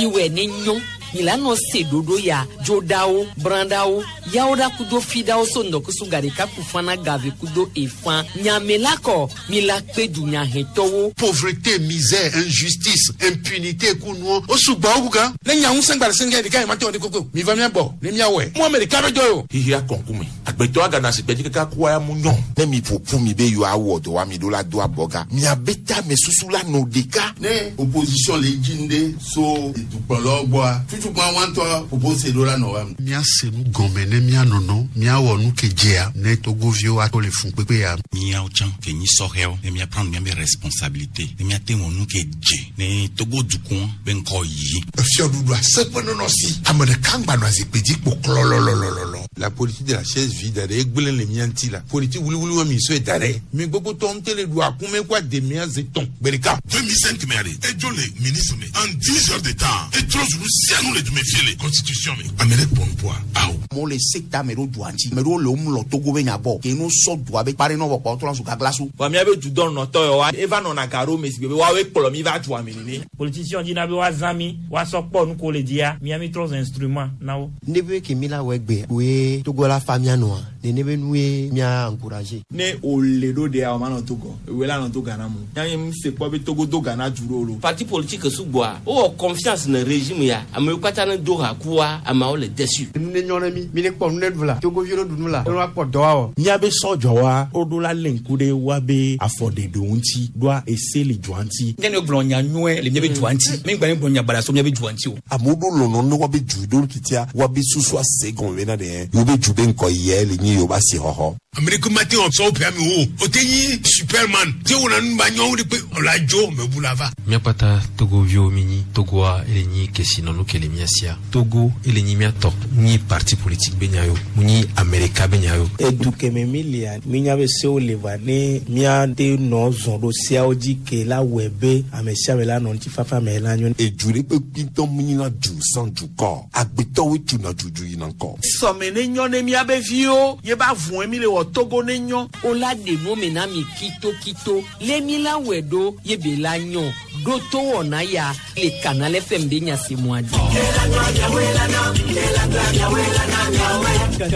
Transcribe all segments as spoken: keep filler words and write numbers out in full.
Miwɛ ne nyɔ mi la nɔ se ɖoɖo ya dzoɖawo brãɖawo yawo ɖa kudo fiɖawo so ŋdɔkusu gaɖeka ku fana gave kudo efã nyame la kɔ mi la kpe dunyahetɔwo. Pauvreté, misère, injustice, impunité kunuɔ o sugbɔ wo kuka. Ne nya ŋusẽ gba le sɛngɛ ɖeka yi ma te wɔ de koko mi va mia bɔ ne mia wɔe mo ame ɖeka be dɔ o. Xixia kɔnkume agbetɔ agana si gbɛdzi kaka kua ya mu nyɔ. Ne mi ƒoƒu mi be yewoawɔ dɔ wa mi ɖo la do abɔga miabe tame susu la nɔ ɖeka. Ne opposition le dzi ŋɖe so dukplɔlawo gbɔa tutukpa wa ŋutɔ propose ɖo la nɔ wa. Míase nu gɔme ne míanɔnɔ míawɔ nu ke dzea ne togoviwo ato le fun kpekpe ya. Míawo tsã ke nyi sɔhɛwo ne míaprendre míabe responsabilité ne míate wɔ nu ke dze ne Togo dukɔ be ŋkɔ yi. Fiɔɖuɖu aseƒe nɔnɔ si ame ɖeka ŋgba nɔ zikpui dzi kpo klɔlɔlɔlɔlɔ. La politique de la chaise vide ɖe egblẽ le mía ŋuti la politique wuliwuli wa mi sɔe da ɖe mi gbogbo tɔ ŋutɔ le ɖu akume kó ademea ze tɔn gbe ɖeka. deux mille cinq mɛ ale edzo le ministre me en dix heures de temps etrɔ zulu sianu le dume fie le constitution me ame ɖe kpɔn poa awo. Amewo le sekta me ɖo dua ŋuti ame ɖewo le wo mlɔ Togo be nya gbɔ ke no sɔ dua be kpare nɔ vɔ kpɔ trɔ zu gaglasu. Vɔ míabe dudɔnɔtɔ yawoa eva nɔna ga ɖo me si gbe be woawoe kplɔ mi va dua me nene. Politicien dina be woazã mi woasɔ kpɔ nu ko le dzia mía mi trɔ zu instrument na wo. Ne be ke mi la wɔ egbe koe Togo la fa mía nɔa nene be nue mía encourager. Ne wòle ɖo ɖea o ma nɔ Togo ewe la nɔ to Ghana mu yanyi mu se kpɔ be Togo do Ghana du ɖo lo. Parti politique sugbɔa wowɔ confiance ne régime ya amewo katã ne do ha kua ameawo le déçu. Nu ne nyɔ ne mi mi ne kpɔ nu ne ɖu la togoviwo ne ɖu nu la ne woakpɔ dɔ awɔ. Míabe sɔdzɔwa woɖo la lé ŋku ɖe woabe afɔɖeɖewo ŋuti ɖoa ese le dua ŋuti. Ne ne gblɔ nya nyuie le míabe dua ŋuti mi gba ne gblɔ nya baɖa so míabe dua ŋuti o. Amewo ɖo lɔlɔ ne woabe du ɖo titia woabe susu ase gɔme bena ɖe yewo be du be ŋkɔ yɛ le nyi yewo ba si xɔxɔ. Ame ɖeke ma te wɔ sɔwo ƒe ame wo o te nyi superman te wɔna nu ba nyɔwo ɖe kpe ɔla dzo mebu la va. Míakpata togoviwo mi nyi Togoa ele nyi kesinɔnu ke le mía sia Togo ele nyi míatɔ mu nyi parti politique be nya yo mu nyi Amerika be nya yo. Edu keme mi lia mi nya be sewo le va ne míate nɔ zɔn ɖo seawo dzi ke la wɔe be ame sia ame la nɔ ŋutifafa me la nyo. Edu ɖe kpekpe ŋutɔ mu nyina du sans dukɔ agbetɔwoe tuna dudu yina ŋkɔ. Sɔme ne nyɔ ne míabe viwo ye ba vɔe mi le wɔ Togo ne nyɔ. O la ɖe nu me na mi kitokito lé mi la wɛ ɖo ye be la nyɔ ɖo to wɔna ya le Canal F M be nyasemua dzi.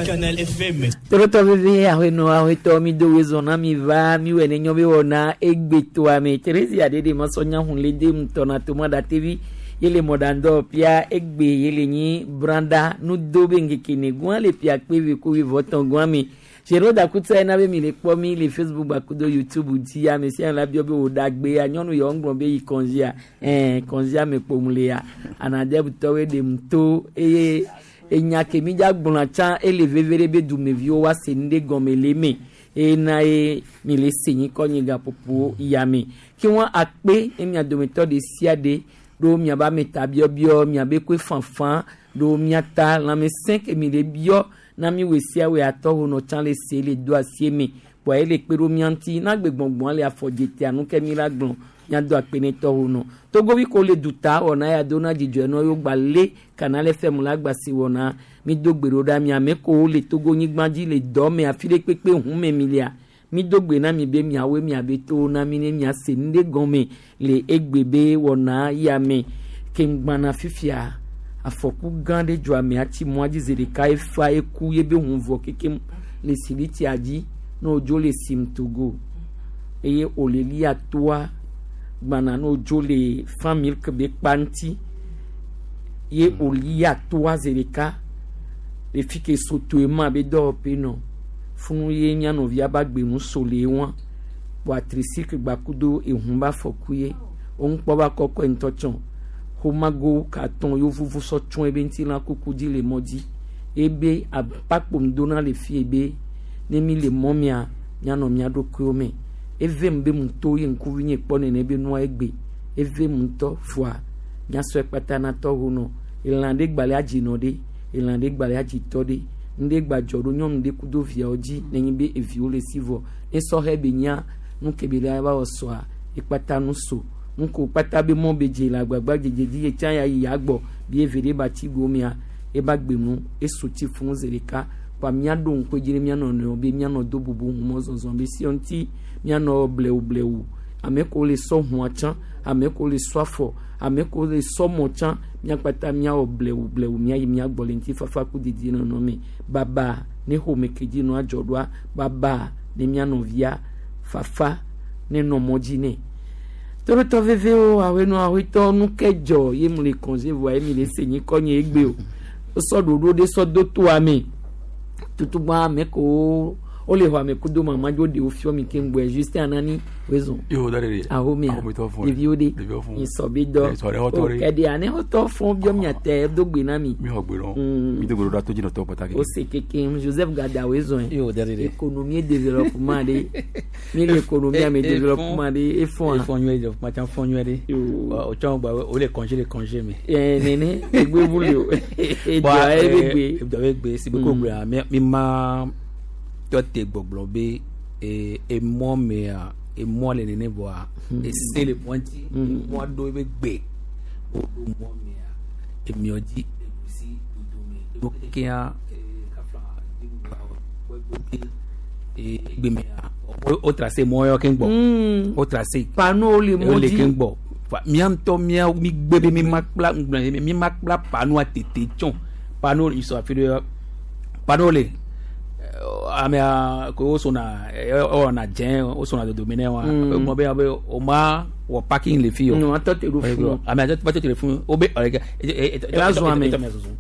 Canal F M. Torotɔ veve ahenɔ ahɔetɔ mi do wezɔn na mi va mi wɛ ne nyɔ be wɔna egbetoa me Teresia ɖe de masɔ nyahun le de ŋutɔna toma da tevi yele mɔɖandɔ pia egbe yele nyi branda nudo be ŋkeke ne gua le pia kpe ko vɔtɔn gua me Jero Dakuta ena be mi le kpɔ mi le Facebook gbakudo YouTube dzi ame sia la biɔ be wò ɖagbe nyɔnu yawo ŋgblɔ be yi kɔnzia ɛɛ kɔnzia me kpom le ya anadebutɔwoe ɖem to eye enya ke mi dza gblɔna tsã ele veve ɖe be dumeviwo wa se nu ɖe gɔme le eme eye ye mi le se nyi kɔ nyi gaƒoƒo yame ke wɔn akpe ne mia dometɔ ɖe sia ɖe ɖo miabe ameta biɔbiɔ miabe koe fanfan ɖo miata lãmesẽ ke mi le biɔ na mi wò sia wò atɔ wo nɔ tsã le se le do asie me kpɔa ele kpe ɖo mia ŋuti na gbe gbɔngbɔn le afɔdzetea nu ke mi la gblɔ miado akpe ne tɔ wo nɔ togovi ko le duta wɔna ya do na dzidzɔ nɔ yewo gba le Canal F M la gba si wɔna mi do gbe ɖo ɖa mia ame ko le Togo nyigba dzi le dɔ me afi ɖe kpekpe hu me mi lia mi do gbe na mi be miawoe miabe to na mi ne miase nu ɖe gɔme le egbe be wɔna ya me ke ŋgbana fifia afɔku gã ɖe dzɔ amea tsi mɔa dzi zi ɖeka efa eku ye be ʋu vɔ kekem le silitia dzi ne wodzo le sim Togo eye wòle lia toa gbana ne wodzo le fan milk be kpa ŋuti ye wòlia toa zi ɖeka le fi ke sotoe ma be dɔwɔƒe nɔ funu ye mía nɔvia ba gbe nu so le wa kpɔ tricycle gbakudo ehun ba fɔku ye wo ŋkpɔ ba kɔkɔe ŋutɔ tsɔ xomago katɔn yewo vuvu sɔ tsɔ ebe ŋuti la kuku dzi le mɔ dzi ebe akpakpo ŋdona le fi ebe ne mi le mɔ mia mianɔ mia ɖokuiwo me eve mu be mu to ye ŋkuvi nye kpɔ nene be nua egbe eve mu ŋutɔ fua nyasɔe kpata na tɔ ho nɔ elã ɖe gbalẽ adzinɔ ɖe elã ɖe gbalẽ adzitɔ ɖe nu ɖe gbadzɔ ɖo nyɔnu ɖe kudo viawo dzi nenye be eviwo le si vɔ ne sɔhɛ be nya nu ke be la va wɔ sɔa ekpata nu so nu ko kpata be mɔ be dze le agbagba dzedze dzi ye tsã ya yi ya gbɔ bi eve ɖe ba tsi go mia eba gbe nu eso tsi fún zi ɖeka kpa míaɖo ŋku dzi ne míanɔ nɔewo be míanɔ do bubu ŋu mɔzɔzɔ be si ŋuti míanɔ blewu blewu. Ame ko le sɔ hũa tsã, ame ko le sɔ afɔ, ame ko le sɔ mɔ tsã, míakpata míawɔ blewu blewu míayi míagbɔ le ŋutifafa ku dedie nɔnɔ me. Baba ne xɔme ke dzi nɔ adzɔ ɖoa, baba ne mía nɔvia fafa ne nɔ mɔ dzi nɛ. Torotɔ vevewo awenɔ awetɔ nu ke dzɔ ye mu le congé voa ye mi le se nyi kɔ nye egbe o. Wosɔ ɖoɖo ɖe sɔ do toa me. Tutugba ame ko wole xɔ ame kudo mama dzo ɖewo fiɔ mi keŋ gbɔe Justin Anani wezɔn. Yo da de. Ahomea Ahometɔ fún. Ɖeviwo ɖe. Ɖeviwo fún. Nyisɔ bi dɔ. Sɔ ɖe xɔtɔ ɖe. O kɛɖe ane xɔtɔ fún biɔ miate do gbe na mi. Mi xɔ gbe lɔ. Mm. Mi do gbe ɖo to dzinɔtɔ pàtàkì. O se keke Joseph Gada wezɔn. Yo da de. Économie et développement ɖe. Mi le économie ame développement ɖe efɔn. Efɔn nyuie développement tsã fɔn nyuie ɖe. O tsã gba o le congé le congé me. Ɛ nene egbe bu le o. Edua ye be gbe. Edua be gbe si be ko gblɔa mi mi ma tɔ te gbɔgblɔ be e emɔ mea emɔ le nene vɔa ese le mɔ dzi emɔ ɖo ebe gbe o ɖo mɔ mea emiɔ dzi eɖusi dodome emo kekea kafla egbe mea o o tracé mɔ yɔ keŋ gbɔ o tracé panneau le mɔ o le dzi. keŋ gbɔ Fa mía ŋutɔ mía mi gbe be mi ma kpla ŋgblɔ mi ma kpla panneau tete tsɔn panneau yi sɔ afi ɖe panneau le amea ko wosona ewɔna dze wosona dodome nɛ wa Mm. egblɔ be be o ma wɔ parking le fi o Mm, atɔ te ɖo funu. amea tɔ te ɖo funu o be ɔlɛ Ela zɔn ame.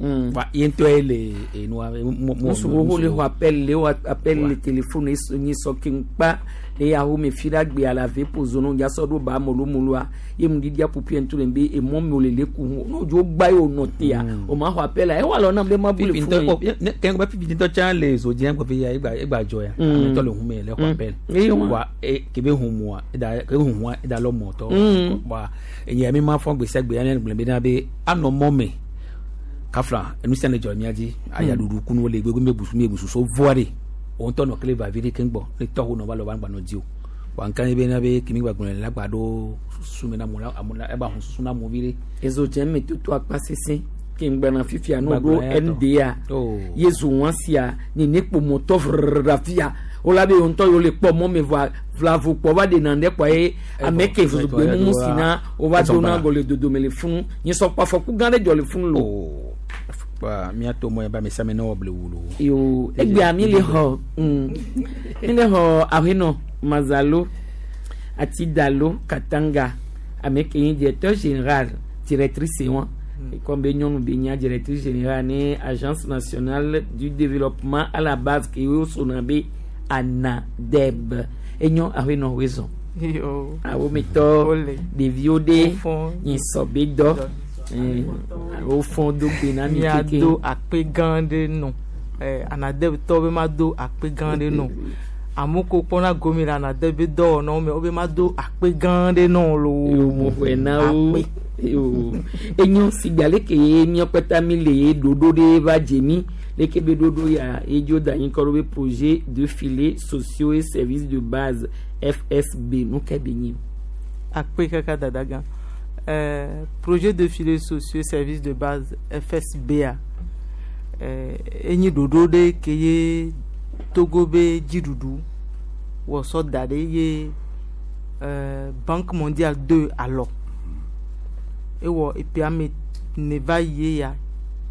Mm. Wa ye ŋutɔ ye le enua mo mo Musu wo le xɔ appel le wɔ appel le téléphone nyi sɔ keŋ kpa le yaho me fi ɖe agbe ala ve po zono ya sɔ ɖo ba molomoloa ye mu ɖiɖia ƒoƒu ŋutɔ le be emɔ mi wo le le ku hu n'o dzo gba ye o nɔ tea o ma xɔ appel la ewɔ alɔ nam be ma bu le fifi funu ŋutɔ ye. kɛn bɛ fifi ŋutɔ tsã le zodzi gbɔ fi ya egba egba dzɔ ya Mm. ame ŋutɔ le hu me le xɔ Mm. appel Eye wa. wa e kebe hu mua eda kebe hu mua eda lɔ mɔtɔ Mm. wa enye mi ma fɔ gbèsè gbe ya ne gblɔ be na be anɔ mɔ me kafla enu sia ne dzɔ mía dzi ayaɖuɖu kunu le gbegbe mi busu mi busu so voa de o ŋutɔ nɔ kele vavi ɖe keŋ gbɔ ne tɔxo nɔ va le wa gba nɔ di o wa nka ye be na be kemi gba gblɔ la gba ɖo susu me na mo la amo la eba hun susu na mo vi ɖe. Ezo dze me toto akpa sese ke ŋgbɛna fifia n'o Gbagblɔ ɖo ya tɔ. N D A Oh. ye zo wɔn sia nene kpo mɔtɔ vrrr fia wola be ŋutɔ yewo le kpɔ mɔ me voa vlavo kpɔ va ɖena ɖe kpɔ ye ame ke zozogbe mumu si na wova dona gɔ le dodome le funu nyisɔ kpɔ afɔku gã ɖe dzɔ le funu lo. Wa míato mɔ ya ba ame sia ame ne wɔ blewu lo. Yo egbea mi le xɔ mm, mi le xɔ ahenɔ Mazalo Atidalo Katanga ame ke nyi directeur général directrice wɔn comme be nyɔnu be nya directrice générale ne Agence nationale du développement à la base ke wo sona be ANADEB enyo ahenɔ wezɔn Yo. awometɔ Ole. ɖeviwo ɖe Wofɔn. nyisɔ be dɔ wofɔn do gbe na mi keke Míado akpe gã ɖe nɔ. Eh, ANADEB tɔwo be mado akpe gã ɖe nɔ. Amewo ko kpɔna gome le ANADEB be dɔwɔnawo me wobe mado akpe gã ɖe nɔ loo. Yo mo xɔe na wo. Yo enyo sigba leke ye míakpata mi le ye ɖoɖo ɖe va dze mi leke be ɖoɖo ya ye dzo da anyi kɔ ɖo be projet de filets sociaux et services de base F S B nu ke be nyi. Akpe kaka dada gã. Euh, projet de filets sociaux services de base F S B A euh, enyi ɖoɖo ɖe ke ye Togo be dziɖuɖu wɔ sɔ da ɖe ye euh, Banque mondiale de alɔ ewɔ eƒe ame ne va yi ye ya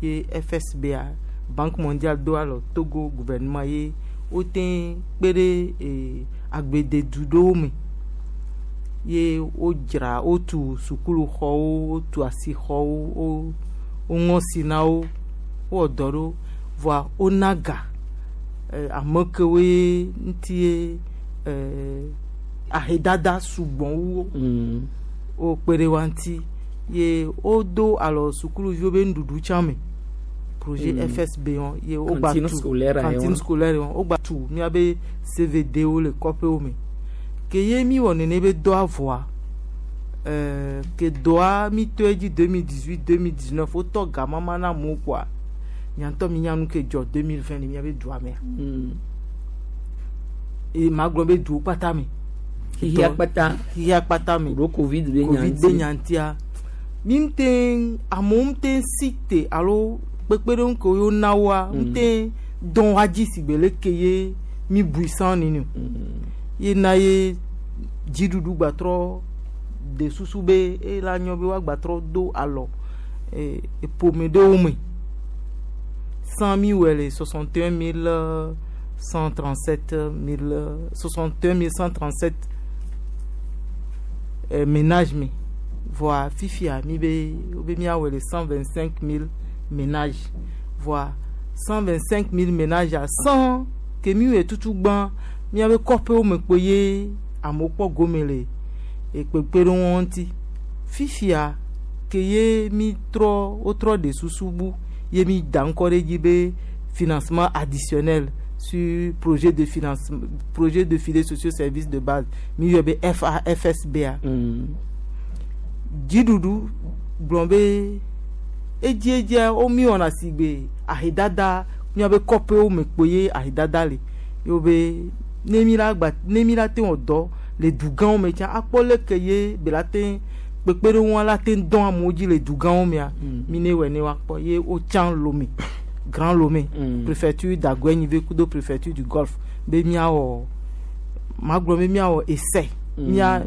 ye F S B A Banque mondiale do alɔ Togo gouvernement ye wote kpe ɖe eh, agbededu ɖewo me ye wodzra wotu sukuluxɔwo wotu asixɔwo wo woŋɔ si na wo wowɔ dɔ ɖo voa wona ga eh, ame kewoe ŋuti ye eh, ahedada sugbɔ wu wo wokpe ɖe wa ŋuti ye wodo alɔ sukuluviwo be nuɖuɖu tsã me projet Mm. F S B wɔn ye wogba Cantine tu scolaire cantine wɔn. scolaire wɔn wogba tu míabe C V D wo le kɔƒewo me ke ye mi wɔ nene be dɔa vɔa ɛɛ ke dɔa mi to edzi deux mille dix-huit deux mille dix-neuf wotɔ gamama na amewo kɔa nyantɔ mi nya nu ke dzɔ deux mille vingt le miabe dua mea eye ma gblɔ be duwo kpata me Xixia kpata xixia kpata me ɖo covid be nya covid be ŋuti. nya ŋutia mi ŋute amewo ŋute si te alo kpekpeɖeŋu ke wo na woa Mm. ŋute dɔn wa dzi si gbe leke ye mi bui sã nene o ye na ye Dziɖuɖu gbatrɔ de susu be ela nyɔ be woagbatrɔ do alɔ eh, ƒome ɖewo me. Cent mi wɔ le soixante et un mille cent trente sept mille soixante et un mille cent trente sept eh, ménage me. Voa fifia mi be wobe miawɔe le cent vingt cinq mille ménage. Voa cent vingt cinq mille ménage a cent ke mi wɔe tutu gbã miabe kɔƒewo me kpo ye amewo kpɔ gome le ekpekpeɖeŋu ŋuti. Fifia ke ye mi trɔ wotrɔ ɖe susu bu ye mi da ŋkɔ ɖe dzi be financement additionnel sur projet de financement projet de filets sociaux services de base mi yɔ be F A F S B A. Dziɖuɖu gblɔ be edziedzia wo mi wɔna si gbe ahedada miabe kɔƒewo me kpo ye ahedada le ye wo be ne mi la gba ne mi la te wɔ dɔ le dugãwo me tsã akpɔ leke ye be la te kpekpeɖeŋua la te dɔn amewo dzi le dugãwo mea mi ne wɔe ne woakpɔ ye wotsã Lomé Grand Lomé mm. préfecture d'Aguenyive kudo préfecture du Golfe be miawɔ magblɔ be miawɔ essai mm. mia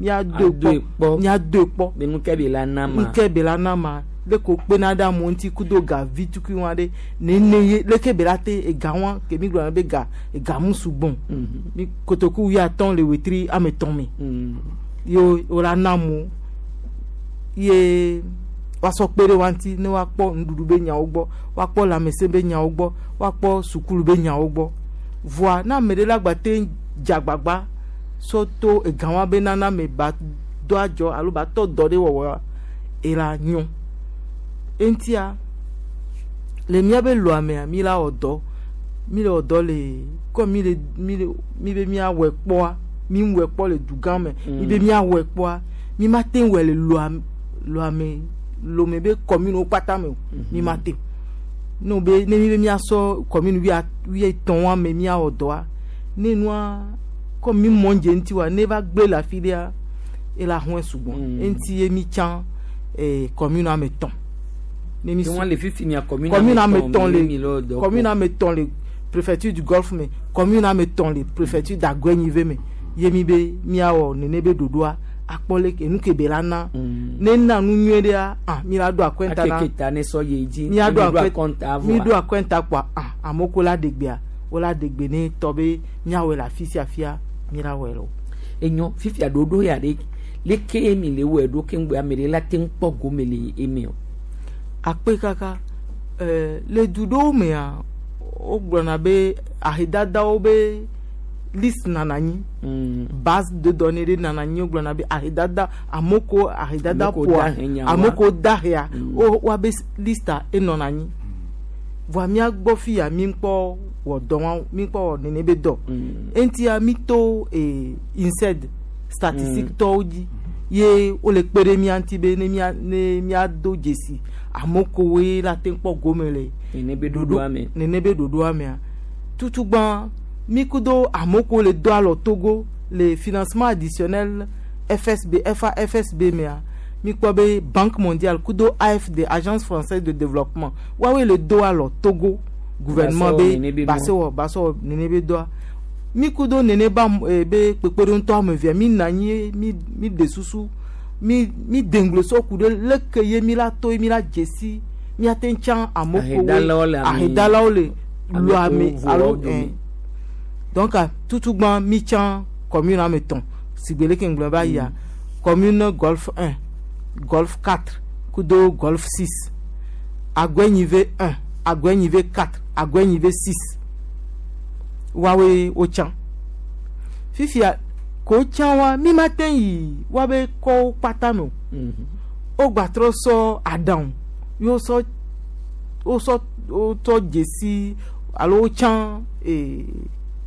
miadoe kpɔ miadoe kpɔ be nuke be la na ma nuke be la na ma leke wokpena ɖe amewo ŋuti kudo ga vi tukui wa ɖe nene ye leke be la te ega wa ke mi gblɔna be ga ega mu sugbɔn mi kotoku wuiatɔ̃ le wetri ame etɔ̃ me ye wo la na amewo ye woasɔ kpe ɖe wa ŋuti ne woakpɔ nuɖuɖu be nyawo gbɔ woakpɔ lãmesẽ be nyawo gbɔ woakpɔ sukulu be nyawo gbɔ voa ne ame ɖe la gba te dze agbagba sɔ to ega wa be nana me ba do adzɔ alo ba tɔ dɔ ɖe wɔwɔ ela nyɔ eŋutia le míabe lɔa mea mi la wɔ dɔ mi le wɔ dɔ le kɔ mi le mi le mi be míawɔe kpɔa mi wɔe kpɔ le dugã me mi be míawɔe kpɔa mi ma te wɔe le lɔa lɔa me Lomé be commune wo kpata me o mi ma te ne wo be ne mi be míasɔ commune wuia wuietɔ̃ wa me míawɔ dɔa ne nua kɔ mi mɔ dze ŋuti wa ne va gblẽ le afi ɖea ela hɔe sugbɔ eŋuti ye mi tsã eh, commune ame etɔ̃ ne mi Wọn le fifi mia commune commune ame etɔ̃ mi le le dɔ commune ame etɔ̃ le préfecture du Golfe me commune ame etɔ̃ le préfecture d'Aguenyive me ye mi be miawɔ nene be ɖoɖoa akpɔ leke enu ke be la na ne na nu nyuie ɖea ah mi la ɖo akɔnta na akeke ta ne sɔ ye dzi miaɖo mi ɖo akɔnta mi voa ɖo akɔnta kpoa ah amewo ko la ɖe gbea wo la ɖe gbe ne tɔ be miawɔe le afi sia fia mi la wɔe le o. Enyo fifia ɖoɖo ya ɖe leke mi le wɔe ɖo keŋgbe ame ɖe la te ŋu kpɔ gome le eme o. Akpe kaka ɛɛ le du ɖewo mea wogblɔna be ahedadawo be liste nana anyi base de données ɖe nana anyi wogblɔna be ahedada amewo ko ahedada Ame ko ƒoa dahe nyawoa. amewo ko dahea wo woabe listea enɔna anyi voa mía gbɔ fia mi kpɔ wɔ dɔ wa mi kpɔ wɔ nene be dɔ eŋutia mi to ee INSEED statistique tɔwo dzi ye wole kpe ɖe mía ŋuti be ne mía ne míado dzesi amewo kowoe la te kpɔ gome le nene be ɖoɖoa me nene be ɖoɖoa mea tutugbã mi kudo amewo ko le do alɔ Togo le financement additionnel F S B F A F S B mea mi kpɔ be Banque mondiale kudo A F D Agence française de développement woawoe le do alɔ Togo gouvernement Basɔ be nene be basɛ mɔ. wɔ basɛ wɔ nene be dɔa mi kudo nene ba eh, be kpekpeɖeŋutɔ ame evea mi na anyi mi mi de susu mi mi deŋglo sɔ ku ɖe leke ye mi la to ye mi la dzesi miate ŋu tsã amewo Ahedalawo le ame- ahedalawo le ame lo ame ko alo voawo dome. eh. Donc tutugbã mi tsã commune ame etɔ̃ sigbe leke ŋgblɔ va yia commune Golfe un Golfe quatre kudo Golfe six Aguenyive un Aguenyive quatre Aguenyive six woawoe wotsã fifia ko tsã wa mi ma te yi woabe kɔwo kpata me o wogbatrɔ sɔ aɖaŋu ye wosɔ wosɔ wotɔ dzesi alo wotsã ee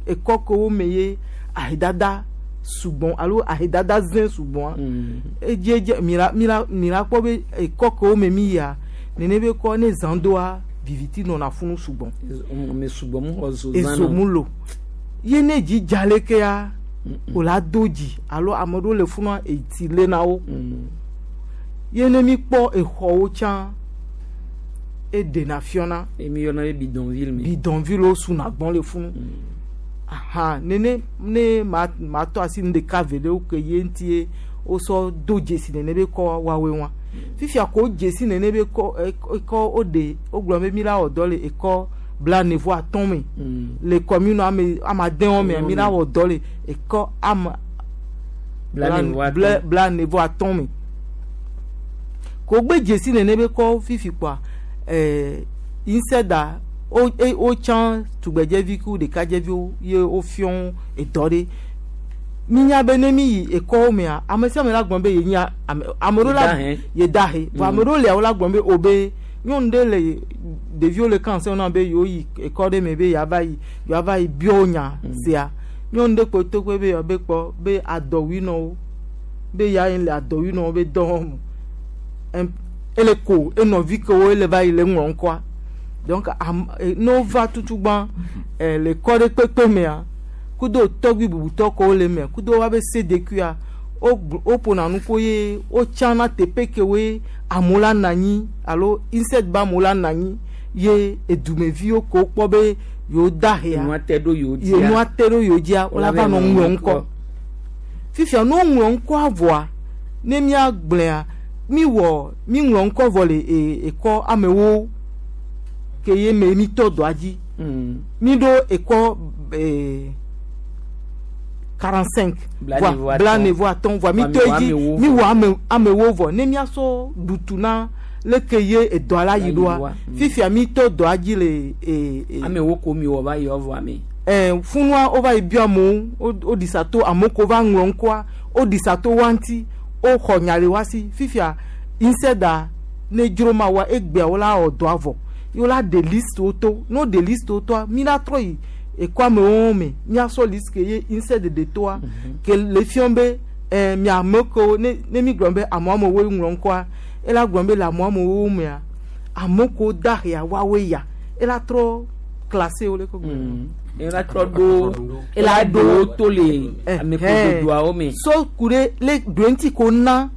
ekɔ kewo me ye ahedada sugbɔn alo ahedada zẽ sugbɔn edziedzi mi la mi la mi la kpɔ be ekɔ kewo me mi yia nene be kɔ ne zã doa viviti nɔna funu sugbɔn ame sugbɔ mu xɔ zo zã ezo mu lo ye ne dzi dza lekea o la do dzi alo ame ɖewo le funua etsi le na wo ye ne mi kpɔ exɔwo tsã eɖena fiɔna emi yɔna be bidonville me bidonville wo suna gbɔn le funu Aha, nene ne ma ma tɔ asi nu ɖeka ve ɖewo ke ye ŋuti ye wosɔ do dzesi nene be kɔ woawoe wa. Fifia ko dzesi nene be kɔ ekɔ woɖe wogblɔ be mi la wɔ dɔ le ekɔ blaene vɔ atɔ̃ me le commune ame ame adewo mea mi la wɔ dɔ le ekɔ ame blaene vɔ atɔ̃ me. Ko gbe dzesi nene be kɔ fifi kpoa ɛɛ inseda wo wotsã tugbedzevi ku ɖekadzeviwo ye wofiɔ edɔ ɖe. Minya be ne mi yi ekɔwo mea ame sia ame la gblɔ be ye nyi ame ame ɖewo la ye da he vɔ ame ɖewo lia wo la gblɔ be o be nyɔnu ɖe le ɖeviwo le kan na be yewo yi ekɔ ɖe me be yeava yi yewoava yi biɔ nya sia nyɔnu ɖe kpo to kpe be yewoa be kpɔ be adɔwui nɔ wo be ya yi le adɔwui nɔ wo be dɔ wɔm ele ko enɔvi kewo ele va yi le ŋlɔ ŋkɔa donc am ne wova tutugbã le kɔ ɖe kpekpe mea kudo tɔgbi bubutɔ kewo le mea kudo woabe C D Q a woƒona nu ko ye wotsana teƒe kewoe amewo la nɔ anyi alo insect be amewo la nɔ anyi ye edumeviwo ke wokpɔ be yewo da hea Nua te ɖo yewo dzia. ye nua te ɖo yewo dzia wola va nɔ ŋlɔ ŋkɔ fifia ne woŋlɔ ŋkɔa vɔa ne míagblɔa mi wɔ mi ŋlɔ ŋkɔ vɔ le e ekɔ amewo ke ye me mi tɔ dɔa dzi mi ɖo ekɔ ee quarante cinq blaene vɔ atɔ̃ vɔa mi tɔ edzi mi wɔ ame amewo vɔ ne miasɔ ɖutu na leke ye edɔa la yi ɖoa fifia mi tɔ dɔa dzi le ee ee. Amewo ko mi wɔ va yi vɔ ame. Ɛɛ funua wova yi biɔ amewo woɖi sa to amewo ko va ŋlɔ ŋkɔa woɖi sa to wa ŋuti woxɔ nya le wa si fifia inseda ne dzro ma wa egbea wo la wɔ dɔa vɔ ye wo la ɖe liste wo to ne wo ɖe liste wo toa mi la trɔ yi ekɔ amewo me miasɔ liste ke ye insect ɖe toa ke le fiɔ be ɛɛ miame kewo ne ne mi gblɔ be amewo amewo ŋlɔ ŋkɔa ela gblɔ be le amewo amewo mea ame kewo da hea woawoe ya ela trɔ classé wo le ko gblɔ. Ela trɔ ɖo ela ɖo wo to le ame kododoawo me. So ku ɖe le ɖo ŋuti ko na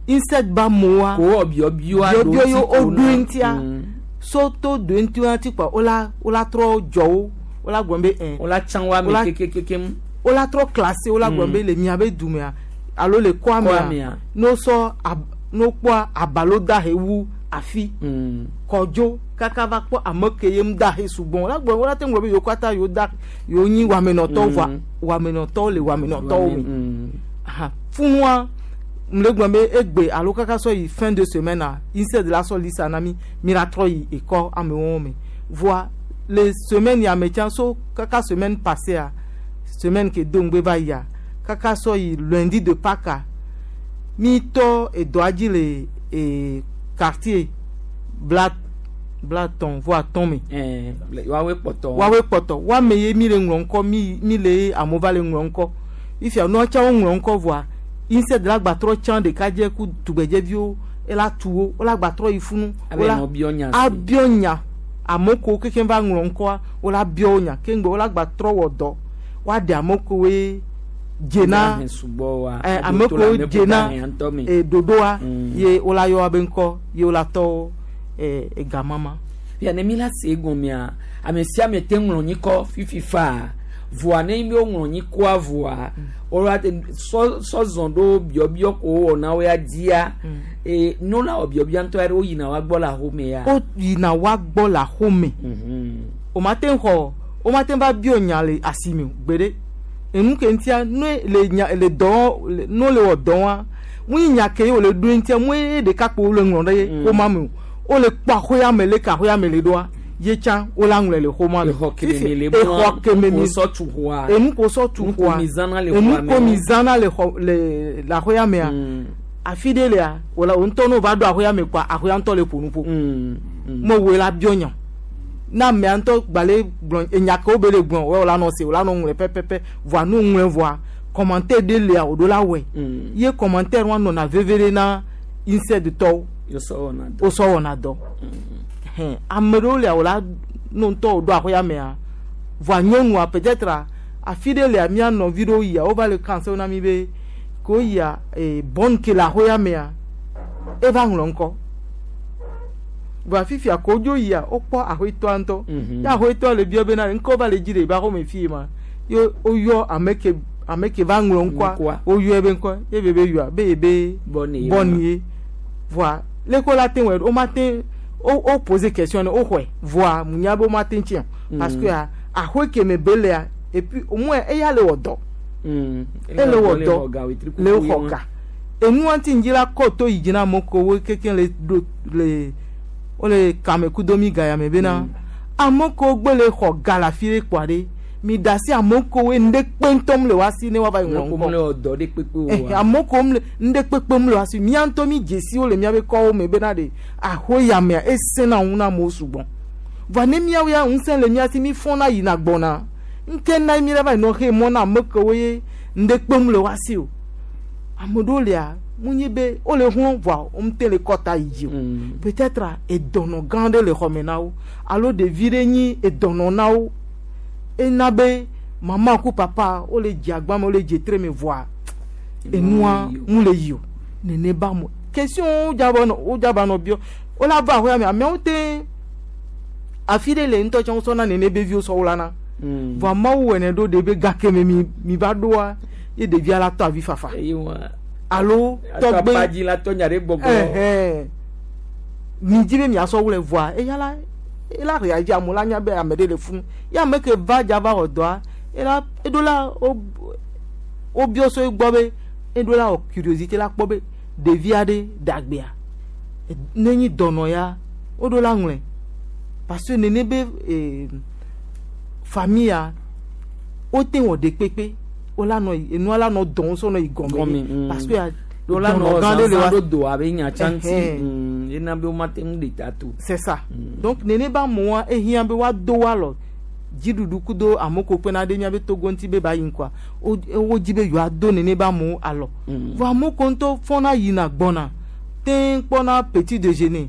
insect ba amewoa. Ko wɔ biɔbiɔa ɖo biɔbiɔ ŋuti ye ko wo ɖo na. ŋutia so to ɖo ŋuti ŋuti kpa wola wola trɔ dzɔ wo wola gblɔ be ɛ. Wola tsã wo ame kekekekem. Wola trɔ classé wola gblɔ be le miabe dumea alo le kɔa Kɔa mea mea. ne wosɔ ab ne wokpɔa abalo da he wu afi kɔdzo kaka va kpɔ ame ke ye ŋu da he sugbɔ wola gblɔ wola te ŋlɔ be yewo katã yewo da yewo nyi wɔamenɔtɔwo vɔa wɔamenɔtɔwo le wɔamenɔtɔwo me aha funua m le gblɔ be egbe alo kaka sɔ yi fin de semaine a insect la sɔ lisa na mi mi la trɔ yi ekɔ amewo me voa le semaine ya me tsã so kaka semaine passée a semaine ke do ŋgbe va yia kaka sɔ yi lundi de Pâques a mi tɔ edɔa dzi le e quartier bla bla tɔn vɔ atɔn me. Ɛɛ woawoe kpɔtɔ. Woawoe kpɔtɔ woame ye mi le ŋlɔ ŋkɔ mi mi le amewo va le ŋlɔ ŋkɔ ifia nua tsã wo ŋlɔ ŋkɔ vɔa insect la gba trɔ tsã ɖekadze ku tugbedzeviwo ela tu wo wola gba trɔ yi funu. Abe nɔ biɔ nya si. Abiɔ nya ame kewo kekem va ŋlɔ ŋkɔa wola biɔ wo nya keŋgbe wola gba trɔ wɔ dɔ woaɖe ame kewoe dzena Woahe sugbɔ wa. ɛ ame kewo dzena e ɖoɖoa ye wola yɔ woabe ŋkɔ ye wola tɔ ɛ egamama. Fia ne mi la se egɔmea ame sia ame te ŋlɔ nyikɔ fifi faa voa ne mi wo ŋlɔ nyikɔa voa wola te sɔ sɔzɔn ɖo biɔbiɔ ko wɔna wo ya dzia ee ne wola wɔ biɔbiɔ ŋutɔ ya ɖe wo yina wa gbɔ le axome ya. Wo yina wa gbɔ le axome o ma te xɔ o ma te va biɔ nya le asime o gbeɖe enu ke ŋutia ne le nya le dɔ le ne le wɔ dɔ wa mu yi nya ke ye wòle ɖo ŋutia mu ye ɖeka kpo wole ŋlɔ ɖe xɔma me o wole kpɔ axɔya me le ke axɔya me le ɖoa ye tsã wole aŋlɔe le xɔma me. Exɔ keme mi le exɔ keme mi ko sɔ tu xɔa. Enu ko sɔ tu Nu ko xɔa mi zãna le enu xɔa me ko mi wo. zãna le xɔ le le axɔya mea afi ɖe lea wòle wo ŋutɔ ne wova ɖo axɔya me kpoa axɔya ŋutɔ le ƒo nu ƒo me woe la biɔ nya ne amea ŋutɔ gbalẽ gblɔ enya ke wo be le gblɔ wo la nɔ se wo la nɔ ŋlɔe pɛpɛpɛ voa ne ŋlɔe vɔa commentaire ɖe lia wòɖo la wɔe ye commentaire wa nɔna veve ɖe na insect tɔwo Wosɔ wɔna dɔ. Wosɔ wɔna dɔ hɛn ame ɖewo lia wò la no ŋutɔ wòɖo axɔya mea voa nyɔnua peut-être a afi ɖe lia mía nɔvi ɖewo yia wova le kansewo na mi be ke woyia ee bɔn ke le axɔya mea eva ŋlɔ ŋkɔ voa fifia ko dzo yia wokpɔ axɔetɔa ŋutɔ Mhm. ye axɔetɔa le biɔ bena ŋkɔ va le dzi le eba xɔme fi ma Ye woyɔ ame ke ame ke va ŋlɔ ŋkɔa woyɔ ebe ŋkɔ ye be be yɔa be ye be bɔni ye voa leko la te wɔ wo ma te wo wo poser question ne wo xɔe voa munya be wo ma te tia parce que axɔe ke me be lea et puis au moins eya le wɔ dɔ ele wɔ dɔ le xɔ ga enua ŋuti ŋdzi la kɔ to yi dzi na amewo ko wo kekeŋ le ɖo le wole kame kudo mi ga ya me bena ame kewo gbe le xɔ ga le afi ɖe kpoa ɖe mi da asi ame kewo ŋɖe kpe ŋutɔ le woa si ne woava yi ŋlɔ ŋkɔ ame kewo ŋɖe kpekpe mu le woa si mía ŋutɔ mi dzesi wo le míabe kɔwo me bena ɖe axɔe ya mea esẽna ŋu na amewo sugbɔ vɔa ne míawo ya ŋusẽ le mía si mi fɔna yina gbɔna ŋke na mi la va yi nɔ xe mɔ na ame kewo ye ŋɖe kpem le woa si o ame ɖewo lia mu nyi be wole hlɔ̃ vɔa womete le kɔta yi dzi o peut-être edɔnɔ gã ɖe le xɔme na wo alo ɖevi ɖe nyi edɔnɔ na wo ena be mama ku papa wole dze agba me wole dze tre me vɔa enua mu le yi o nene ba mo question wo dzaba nɔ wo dzaba nɔ biɔ wola va axɔa me ameawo te afi ɖe le ŋutɔ tsɛ wosɔna nene be viwo sɔ wlana vɔa mawu wɔnɛ ɖo ɖe be gake me mi mi va ɖoa ye ɖevia la tɔ avi fafa alo tɔgbe ɛhɛn mi dzi be miasɔ wlɛ vɔa eya la ela réagi amewo la nya be ame ɖe le funu ye ame ke va dza va wɔ dɔa ela eɖo la wo wobiɔ so egbɔ be eɖo la wɔ curiosité la kpɔ be ɖevi aɖe dagbea ne nyi dɔnɔ ya woɖo la ŋlɔe parce que nene be ee famille ya wote wɔ ɖe kpekpe wola nɔ enua la nɔ dɔn sɔ nɔ yi gɔme parce que wola nɔ zanzan ɖo do abe nyatsa ŋuti ena be womate ŋu ɖe ta to. C'est ça donc nene ba amewoa ehiã be woado wo alɔ dziɖuɖu kudo amewo ko kpena ɖe miabe Togo ŋuti be ba yi ŋkɔa wo dzi be yewoado nene be amewo alɔ vɔ amewo ko ŋutɔ fɔna yina gbɔna te kpɔna petit déjeuner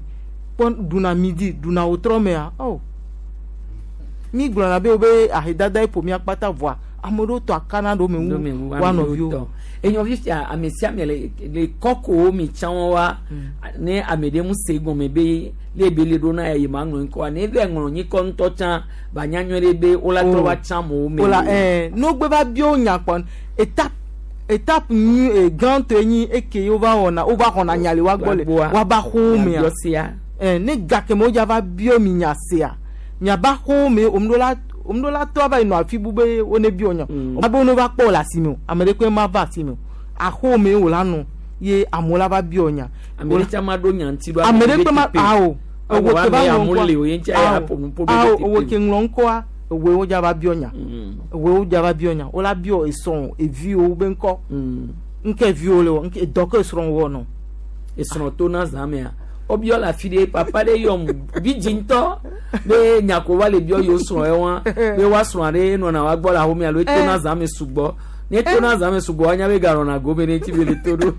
kpɔ ɖuna midi ɖuna wotrɔ mea oh mi gblɔna be wobe ahedada ye ƒo mía kpata vɔa ame ɖewo tɔ akana ɖo me ŋu woa nɔviwo. Enyɔvi fia ame sia ame le le kɔkowo mi tsã wa ne ame ɖe ŋu se gɔme be le be le ɖo na ya yi ma ŋlɔ ŋkɔa ne le ŋlɔ nyikɔ ŋutɔ tsã ba nya nyuie ɖe be wola trɔ va tsã amewo me. Wola ɛɛ n'o va bio nya kpɔ étape étape nyui gãtɔe nyi eke wova wɔna wova xɔna nya le woa gbɔ le woaba xowo mea ɛɛ ne gake me wodza va bio mi nya sea miaba xowo me omuɖo la omuɖo la tɔ ava yi nɔ afi bu be wo ne bio nya abe wo ne va kpɔ le asime o ame ɖe koe ma va asime o axowo me wo la nɔ ye amewo la va bio nya. Ame ɖe tsã ma ɖo nya ŋuti ɖo ame ɖe kpe ma awo ewo ke va ŋlɔ ŋkɔa awo ewo ke ŋlɔ ŋkɔa ewoe wodza va bio nya ewoe wodza va bio nya wo la bio esrɔ̃ eviwo be ŋkɔ ŋke viwo le wɔ ŋke dɔ ke esrɔ̃ wɔ nɔ. Esrɔ̃ to na zã mea wobiɔ le afi ɖe papa ɖe yɔm vidzi ŋutɔ be nyako va le biɔ yewo srɔ̃ ye wa be woa srɔ̃ ɖe nɔna wa gbɔ le ahome alo eto na zã me sugbɔ ne to na zã me sugbɔ woanya be ganɔna gome ne ŋuti be le to ɖo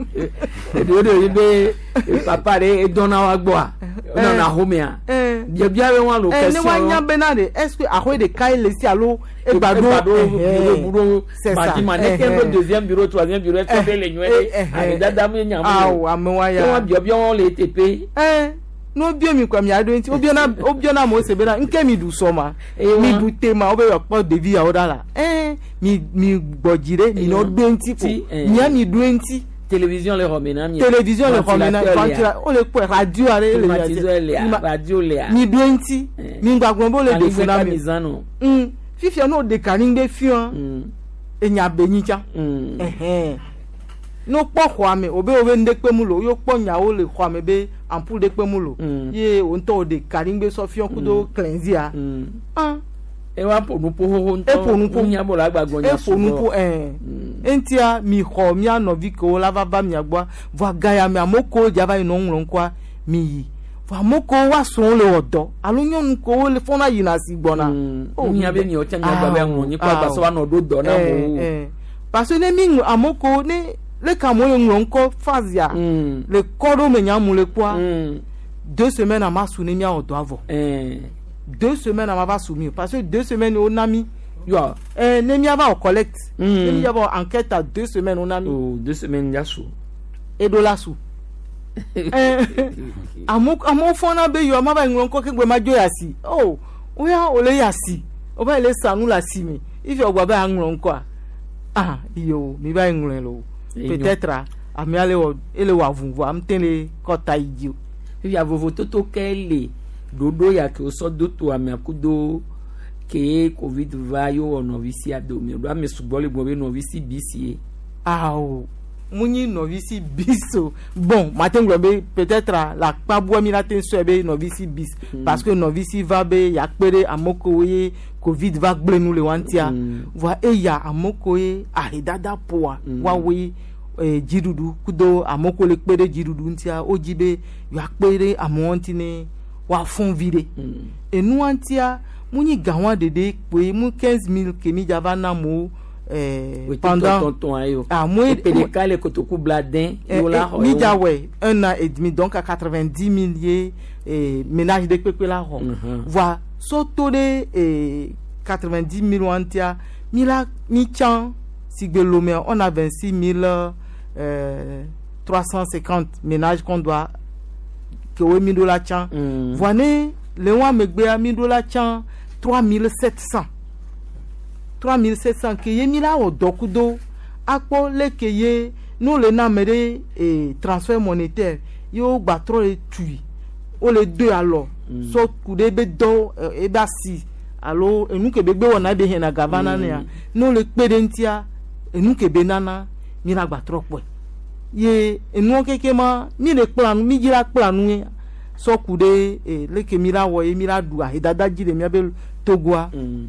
eɖewo ɖe yi be papa ɖe edɔna wa gbɔa nɔna ahomea biabia be wa lo kɛsɔn ne woanya bena ɖe est ce que ahoe ɖeka ye le si alo egba ɖo bureau bureau madima ne ke ɖo deuxième bureau troisième bureau est ce que le nyuie ɖe ame dada me nya awo amewoa ya ke wa biabia wɔn le teƒe. Ɛɛ ne wobio mi kɔ mia ɖo ŋuti wobiona wobiona amewo se bena ŋke mi ɖu sɔ ma mi ɖu te ma wobe kpɔ ɖevi yawo ɖa la ɛɛ mi mi gbɔ dzi ɖe mi nɔ ɖo ŋuti ko mia mi ɖo ŋuti. Télévision le xɔme na mi. Télévision le xɔme na ventilateur wole kpɔe radio aɖe le climatiseur lea radio lea. Mi ɖo ŋuti mi gbagblɔ be wole ɖe fu na mi. Mm fifia ne wo ɖe kanigbe fiɔ enya be nyi tsã. Ɛhɛn ne wokpɔ xɔa me wobe wobe nu ɖe kpe mu lo ye wokpɔ nyawo le xɔa me be ampoule ɖe kpe mu lo ye wo ŋutɔ wo ɖe kanigbe sɔ fiɔ kudo klɛnzia. Ah ewa ƒo nuƒo xoxo ŋutɔ eƒo nuƒo nya bɔ la gbagbɔ nya eƒo nuƒo ɛɛ eŋutia mi xɔ mia nɔvi kewo la va va mia gbɔa vɔa gaya me amewo kewo dza va yi nɔ ŋlɔ ŋkɔa mi yi vɔa amewo kewo wa srɔ̃wo le wɔ dɔ alo nyɔnu kewo le fɔna yina si gbɔna. Nya be miawo tsã mia gba be aŋlɔ nyikɔ agbasɔ wa nɔ ɖo dɔ na amewo. Parce que ne mi ŋlɔ amewo kewo ne le ka amewo le ŋlɔ ŋkɔ phase ya le kɔ ɖo me nya mu le kpɔa deux semaines ama su ne miawɔ dɔ avɔ. Deux semaines on va soumettre parce que deux semaines on a mis yo eh ne mi va collecte ne mi va enquête à deux semaines on a mis oh deux semaines ya sous et de la sous eh amo amo fona be yo ma ba nglo ko ke gbe ma jo ya si oh oya ole ya si o ba le sanu la si mi Ifi wògba be aŋlɔ ŋkɔa ah iyo mi va yi ŋlɔe lo peut-être amea le wɔ ele wɔ avu vɔa ŋute le kɔta yi dzi o. Fifia vovototo ke le ɖoɖo ya ke wosɔ do to amea kudo ke covid va ye wowɔ nɔvi sia dome ɖo ame sugbɔ le gblɔ be nɔvi si bisi ye. Awo mu nyi nɔvi si bis o bon mate ŋu gblɔ be peut-être le akpa bua mi la te sɔe be nɔvi si bis mm. parce que nɔvi si va be yakpe ɖe ame kewo ye covid va gblẽ nu le wa ŋutia mm. voa eya ame kewo ye ahedada ƒoa mm. woawoe eh, dziɖuɖu kudo ame kewo le kpe ɖe dziɖuɖu ŋutia wodzi be yewoakpe ɖe amewo ŋuti ne woafɔ̃ vi ɖe enua ŋutia mu nyi gawa ɖeɖe kpoe mu quinze mille ke mi dza va na amewo eh, pendant ah moi ɖeka le kotoku bladen eh, eh, mi dza wɔe un an et demi donc à quatre-vingt-dix mille ye eh, ménage ɖe kpekpe la xɔ mm -hmm. voa sɔto ɖe eh, quatre-vingt-dix mille wa ŋutia mi la mi tsã si gbe Lomé on a vingt-six mille euh, trois cent cinquante ménages qu'on doit ke wo mi ɖo la tsã mm. voa ne le wa megbea mi ɖo la tsã trois mille sept cents trois mille sept cents ke ye mi la wɔ dɔ kudo akpɔ leke ye n'o le na ame ɖe eh, transfert monétaire ye wo gba trɔ le tui wo le do alɔ mm. sɔ ku ɖe ebe dɔ ebe asi alo enu ke be gbe wɔna ebe hɛna gava na nea n'o le kpe ɖe ŋutia enu ke be nana mi la gba trɔ kpɔe ye enuwo keke ma mi le kpla nu mi dzi la kpla nu ye sɔ ku ɖe eh, leke mi la wɔ ye mi la ɖu ahedada dzi le miabe Togoa. Mm.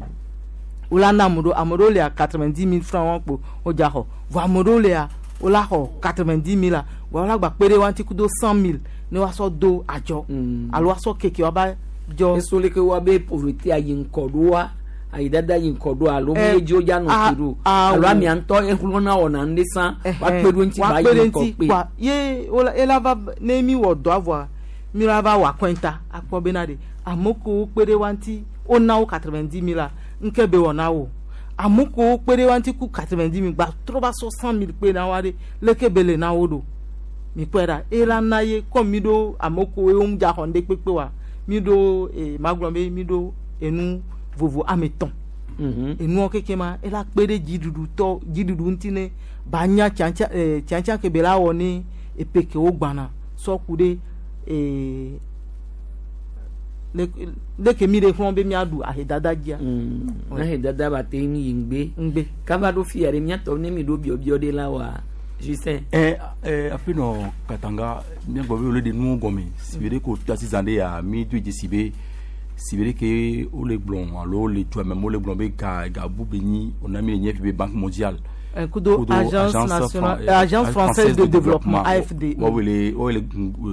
Wola na ame ɖewo ame ɖewo lea quatre-vingt-dix mille francs wɔn kpo wodza xɔ vɔ ame ɖewo lea wola xɔ quatre-vingt-dix mille la vɔ wola gba kpe ɖe wa ŋuti kudo cent mille ne woasɔ do adzɔ alo woasɔ keke woaba dzɔ. Eso leke wa be pauvreté ayi ŋkɔ ɖoa ayi dada yi ŋkɔ ɖoa alo mi dzi wodza nɔ ti ɖo alo amea ŋutɔ exlɔna wɔna nu ɖe sã woakpe ɖo ŋuti ba yi ŋkɔ kpe. Kpa ye wola ela va ne mi wɔ dɔa vɔa mi la va wɔ akɔnta akpɔ bena de ame kewo kpe ɖe wa ŋuti wona wo quatre-vingt-dix mille la nke be wɔna wo ame kewo kpe ɖe wa ŋuti ku quatre-vingt-dix mille gba trɔ va sɔ cent mille kpe na wa ɖe leke be le na wo ɖo mi kpɔe ɖa ela na ye kɔm mi ɖo ame kewo ye wo dza xɔ ŋɖe kpekpe wa mi ɖo ee magblɔ be mi ɖo enu vovo ame tɔn enuwo keke ma ela kpe ɖe dziɖuɖu tɔ dziɖuɖu ŋuti ne ba nya tiatia ee tiatia ke be la wɔ ne epe ke wo gbana sɔ ku ɖe ee leke mi ɖe xlɔ̃ be miaɖu ahedada dzia. Ahedada ba te yi ŋgbe. Ŋgbe. Kaba ɖo fia ɖe miatɔ ne mi ɖo biɔbiɔ ɖe la wa Justin. Ɛ ɛ afi nɔ Katanga miagbɔ be wole ɖe nuwo gɔme si be ɖe ko to asi zã ɖe ya mi do dzesi be si be ɖe ke wole gblɔ alo le dua me wole gblɔ be ga ga bu be nyi wòna mi le nye fi be Banque mondiale. Kudo agence nationale agence française de développement A F D. Wɔwele wɔwele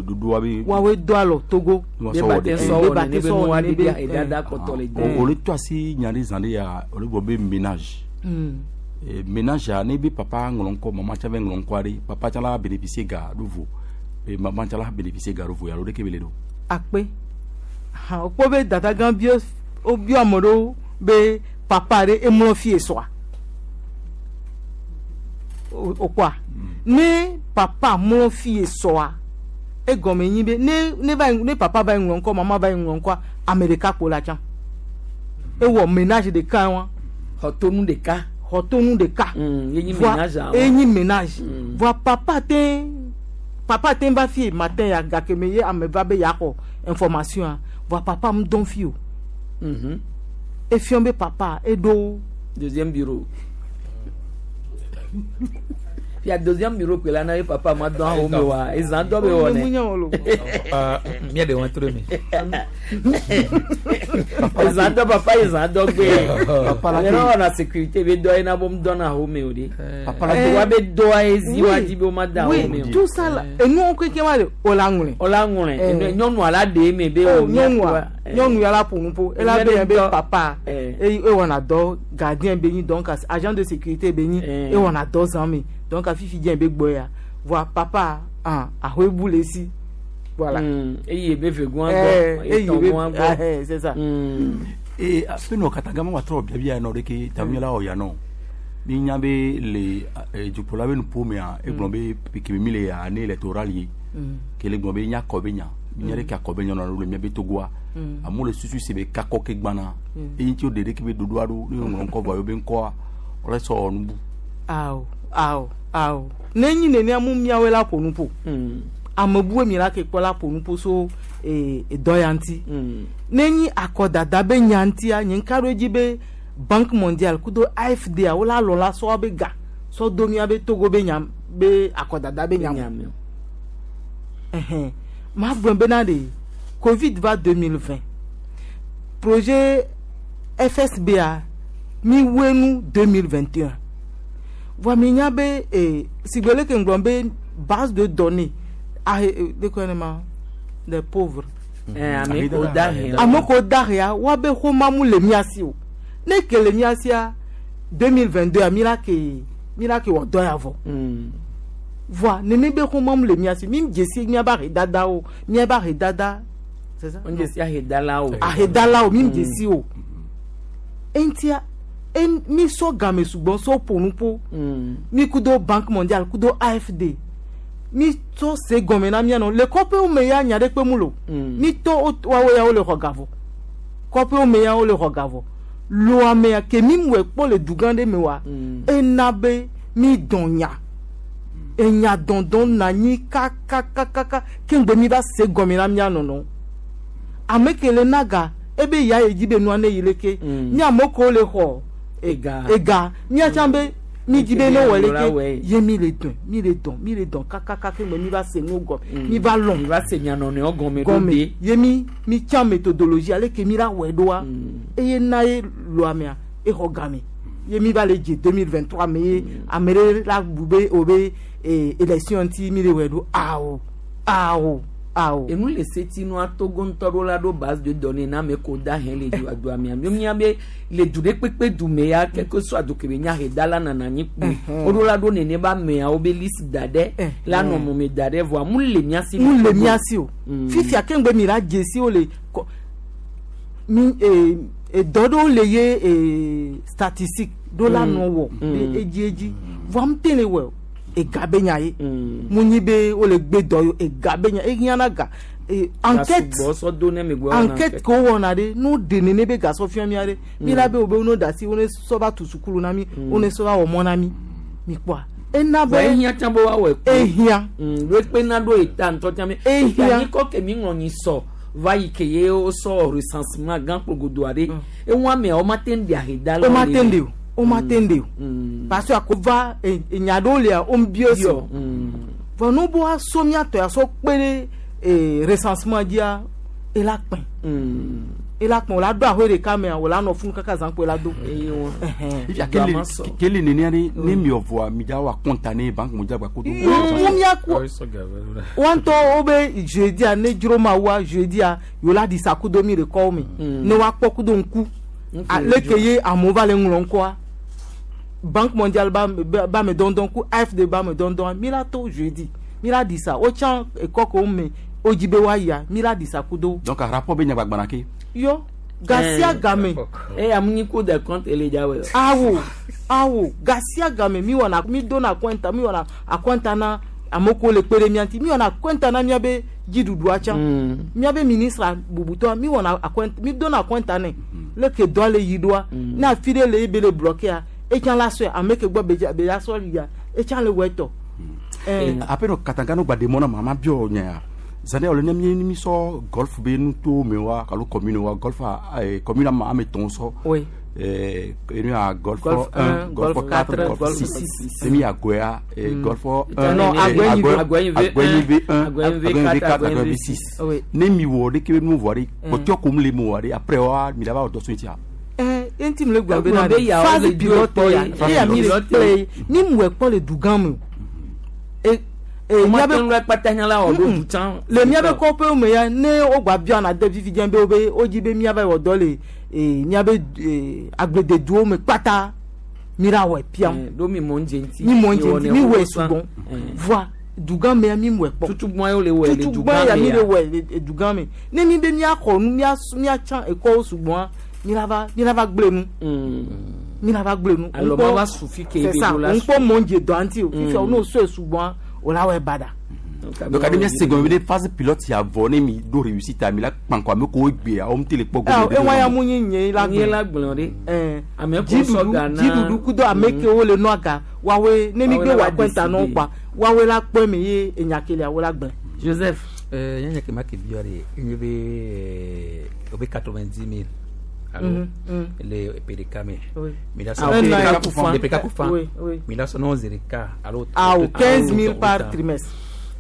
ɖoɖoa be. Wɔwoe do alɔ Togo. Be ba te sɔ wɔ nene be nua ɖe be ahedada kpɔtɔ le dzi. Wole to asi nya ɖe zã ɖe ya wole gblɔ be ménage. Ménage ya ne be papa ŋlɔ ŋkɔ mama tsã va ŋlɔ ŋkɔa ɖe papa tsã la bénéficier ga ɖo vo mama tsã la bénéficier ga ɖo vo alo ɖeke be le ɖo. Akpe hã wokpɔ be dada gã bio wobio ame ɖewo be papa ɖe emlɔ fie sɔa wokpɔa ne papa mlɔ fie sɔa egɔme nyi be ne ne va ne papa va ŋlɔ ŋkɔ mama va ŋlɔ ŋkɔa ame ɖeka kpo la tsã ewɔ ménage ɖeka wa. Xɔtonu ɖeka. Xɔtonu ɖeka. Ye nyi ménage awɔ. Ye nyi ménage. Voa papa te papa te va fie matin ya gake me ye ame va be yaxɔ information a voa papa mu dɔn fi o. Efiɔ be papa eɖo. Deuxième bureau. Fia deuxième bureau kpe la na ye papa ma dɔn awo me wa ezã dɔ be wɔ nɛ. Mía ɖe wɔn tro mi. Ezã dɔ papa ezã dɔ gbe. Yɛrɛ wɔna sécurité be dɔ ye na bɔ mu dɔn awo me o de. Papa la wa be dɔa ye zi wa dzi be o ma da awo me o. Oui, tout ça là enuwo keke ma de o la ŋlɔe. O la ŋlɔe nyɔnua la ɖe eme be o nyɔnua nyɔnu ya la ƒo nu ƒo ela be yɛn be papa eye ewɔna dɔ gardien be nyi donc agent de sécurité be nyi ewɔna dɔ zã me donc fifi dze be gbɔ ya voa papa ah ahoe bu le si voilà. Eye be vegoa gbɔ eye be gbɔ c'est ça. Ee afi nɔ Katanga ma wa trɔ biabia nɔ ɖe ke tamunyala wɔ ya nɔ mi nya be le dukplɔla be nuƒo mea egblɔ be keme mi le année électorale ye ke le gblɔ be nya kɔ be nya Minya ɖe ke akɔ be nyɔnua ɖo le miabe Togoa. Mm. Amewo le susu si be kakɔ ke gbana. Mm. Eyi ŋuti wo ɖe ɖeke be ɖoɖoa ɖo ne woŋlɔ ŋkɔ vɔa yewobe ŋkɔa wole sɔ wɔ nubu. Awo awo awo ne nyi nenea mu miawoe la ƒo nu ƒo. Ame bue mi la ke kpɔ la ƒo nu ƒo so ee dɔ ya ŋuti. Ne nyi akɔdada be nya ŋutia nye ŋka ɖo edzi be Banque mondiale kudo A F D a wola lɔ la sɔ be ga sɔ do mía be Togo be nya be akɔdada be nya me. Ɛhɛn ma gblɔ bena de Covid va deux mille vingt, projet F S B A mi wue nu deux mille vingt et un voa mi nya be eh, sigbe leke ŋgblɔ be base de données ahe eh, de kɔ ne ma les pauvres. Eh, ame ko dahe. Ame ko dahea woabe xɔma mu le mía si o. Ne ke le mía sia deux mille vingt-deux a mi la ke mi la ke wɔ dɔ ya vɔ voa nene be xɔma mu le mía si mi dze si míabe ahedadawo míabe ahedada, c'est ça? N dze si ahedalawo. Ahedalawo mi dze si o. Eŋutia en mi sɔ game sugbɔ sɔ ƒo nu ƒo mi kudo Banque mondiale kudo A F D mi tsɔ se gɔme na mía nɔ le kɔƒewo me ya nya ɖe kpe mu lo mi tɔ wo- woawo ya wole xɔ ga vɔ kɔƒewo me ya wole xɔ ga vɔ loamea ke mi wɔe kpɔ le dugã ɖe me wa ena be mi dɔn nya enya dɔndɔn na anyi kakakakaka ke ŋgbe mi va se gɔme na mía nɔnɔ ame ke le na ga ebe ya ye dzi be nua ne yi leke mi ame kewo le xɔ Ega. Ega mía tsã be mi dzi be ne wɔ la leke wɔe. Ye mi le dɔn mi le dɔn mi le dɔn kakaka ke ŋgbe mi va se nu gɔme mi va lɔn mi va se mia nɔnɔewo gɔme ɖo gɔme de. Ye mi mi tsã méthodologie ale ke mi la wɔe ɖoa eye na ye loamea exɔ game ye mi va le dze deux mille vingt-trois me ye ame ɖe la bu be o be eh, élection ŋuti mi le wɔe ɖo awo awo awo. Enu le seti nua Togo ŋutɔ ɖo la ɖo base de données na ame ko da hɛn le du adoa mia mi mia be le du ɖe kpekpe du me ya quelque soit du ke be nya ahedala nana anyi kpoe woɖo la ɖo nene be ameawo be liste da ɖe la nɔ mɔme da ɖe vɔa mu le mia si. Mu le mía si o. Fifia ke ŋgbe mi la dze si wo le kɔ mi eh, eh, dɔ ɖewo le ye eh, statistique ɖo la nɔ wɔ be edzi edzi vɔa mu te le wɔ o ega be nya ye mu nyi be wo le gbe dɔ yo ega be nya ehiã ga eh, enquête sugbɔ sɔ do ne mi gbɔ wɔna enquête ke wowɔna ɖe no ɖe nene be gasɔ fia mía ɖe mi la be wo be wo ne da asi wo ne sɔ va tu sukulu na mi wo ne sɔ va wɔ mɔ na mi mi kpɔa ena be vɔ ehiã tsã be woawɔ ekpo ehiã ɖo ekpe na ɖo eta ŋutɔ tsã mi Ehiã. anyikɔ ke mi ŋlɔ nyi sɔ va yi ke ye wosɔ recensement gã kpogodo aɖe eŋu ameawo ma te ŋu ɖe ahedalawo o ma le te me. ŋu ɖe o o ma te ŋu ɖe o parce que ako va e- enya ɖewo lia wo bio si o vɔ nu bo asɔ miatɔ ya sɔ kpe ɖe eh, recensement dzia ela kpẽ ela kpẽ o la ɖo ahoe ɖeka mea o la nɔ funu kaka zã kpo ela do. Ifia kele kele nenia ɖe ne miɔ vɔa mi dza wɔ akɔnta ne Banque mondiale gba kodo. Mu miaku wa ŋutɔ wo be jedia ne dzro ma wa jedia yewo la ɖi sa kudo mi le kɔwo me ne woakpɔ kudo ŋku leke ye amewo va le ŋlɔ ŋkɔa Banque mondiale ba ba ba me dɔndɔn ku A F D ba me dɔndɔn mi la to jeudi mi la ɖi sa wotsã ekɔ ke wo me wodzi be woayia mi la ɖi sa kudo. Donc rapport be nyagbagbana ke. Yɔ gasia game. Eya mu nyi Cour des comptes ele dza wɔ. Awo awo gasia game mi wɔna mi dona akɔnta mi wɔna akɔnta na ame kewo le kpe ɖe mía ŋuti mi wɔna akɔnta na míabe dziɖuɖua tsã míabe ministre bubutɔa mi wɔna akɔnta mi dona akɔnta nɛ leke dɔa le yi ɖoa ne afi ɖe le ebe le bloquea etsã la sɔe ame ke gbɔ be dza be la sɔ yia etsã le wɔ etɔ. Ape nɔ katanga no gba de mɔ na ma ma biɔ nya zan ɖe ne mi mi sɔ golf be nuto me wa alo commune wa golf a eh, commune ama ame tɔn sɔ. Oui. Eh, enu ya golf Golf un, un, golf golf quatre, quatre, golf golf six. six. Ne mi agoya eh, Mm. golf un, Non, eh, Agboyin V- Agboyin V Agboyin V un, Agboyin V Agboyin V quatre, quatre, Agboyin Agboyin V V six. Oui. Ne mi wɔ ɖeke be nu vɔ ɖe Mm. kpɔtɔ kom le mu wɔ ɖe après wa mi la va wɔ dɔ so ŋutia. Ɛn enti mi le gblɔ Egblɔ bena be yawo phase le dzo pilote kpɔ ya ye. eya mi le Pilote. kple ye mi mɔe kpɔ le dugã me o e e Woma míabe te ŋu ɖe kpata nya la wɔ ɖo du tsã. Le míabe kɔƒewo me ya ne wogba bia na de fifi dze be wo be wodzi be míava wɔ dɔ le e míabe e agblededuwo me kpata mi la wɔe piam. Eh, ɖo mi mɔ ŋdze ŋuti. Mi mɔ ŋdze ŋuti mi wɔe sã. sugbɔ voa dugã mea mi wɔe kpɔ. Tutugbɔn ye wo le wɔe le Tutugbɔn dugã ya me mi ya. le wɔe le dugã me ne mi be míaxɔ nu mía míatsã ekɔwo sugbɔa mi la va mi la va gblẽ nu mi la va gblẽ nu. Alɔ ma va su fi ke C'est ebe ça ɖo la ŋkpɔ mɔ ŋdze dɔa ŋuti o fifia Mm. wo ne wo sɔe sugbɔa o la wɔe baɖa. Donc ade mia segɔn be phase pilote ya vɔ ne mi do réussite mi la kpankɔ ame ko gbe a wɔm tele kpɔ gome. Ewa ya mu nyi nye la gblɔ. Nye la gblɔ de. Ame ko sɔ ga na. Dziɖuɖu kudo ame kewo le nɔ aga wawe ne mi gbe wa kɔnta nɔ kpa wawe la kpɔ mi ye enyakelia wo la gblẽ. Joseph. Euh, nya ke ma ke biɔ de enye be o be quatre-vingt-dix mille. Alors, le P D K me. Mi la sɔn le P D K kufa. Mi la sɔn zéro K alo. Ah, quinze mille par trimestre.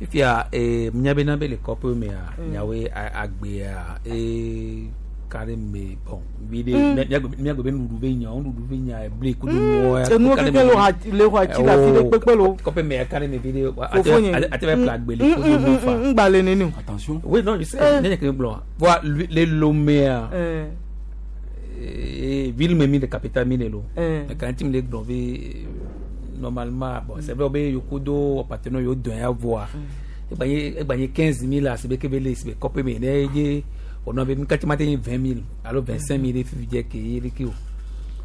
Ifia eh nya be na be le kɔpe me a nyawe agbe a e kare me bon bi de nya gbe be nuɖuɖu be nya nuɖuɖu be nya ble kudu mo ya enu keke lo le ho atsi la fi de kpekpe lo kɔpe me kare me bi de ate be pla gbe le kudu mo fa ngba le nenu attention oui non je sais nya ke gblɔ voilà le Lomé a ville me mi de capitale mi le lo quand mi le gblɔ be normalement bon c'est vrai be yokudo partenaire yo don ya voix egbanye quinze mille à c'est que le c'est copé mais ne on avait vingt mille alors vingt-cinq mille fi je ke le ki o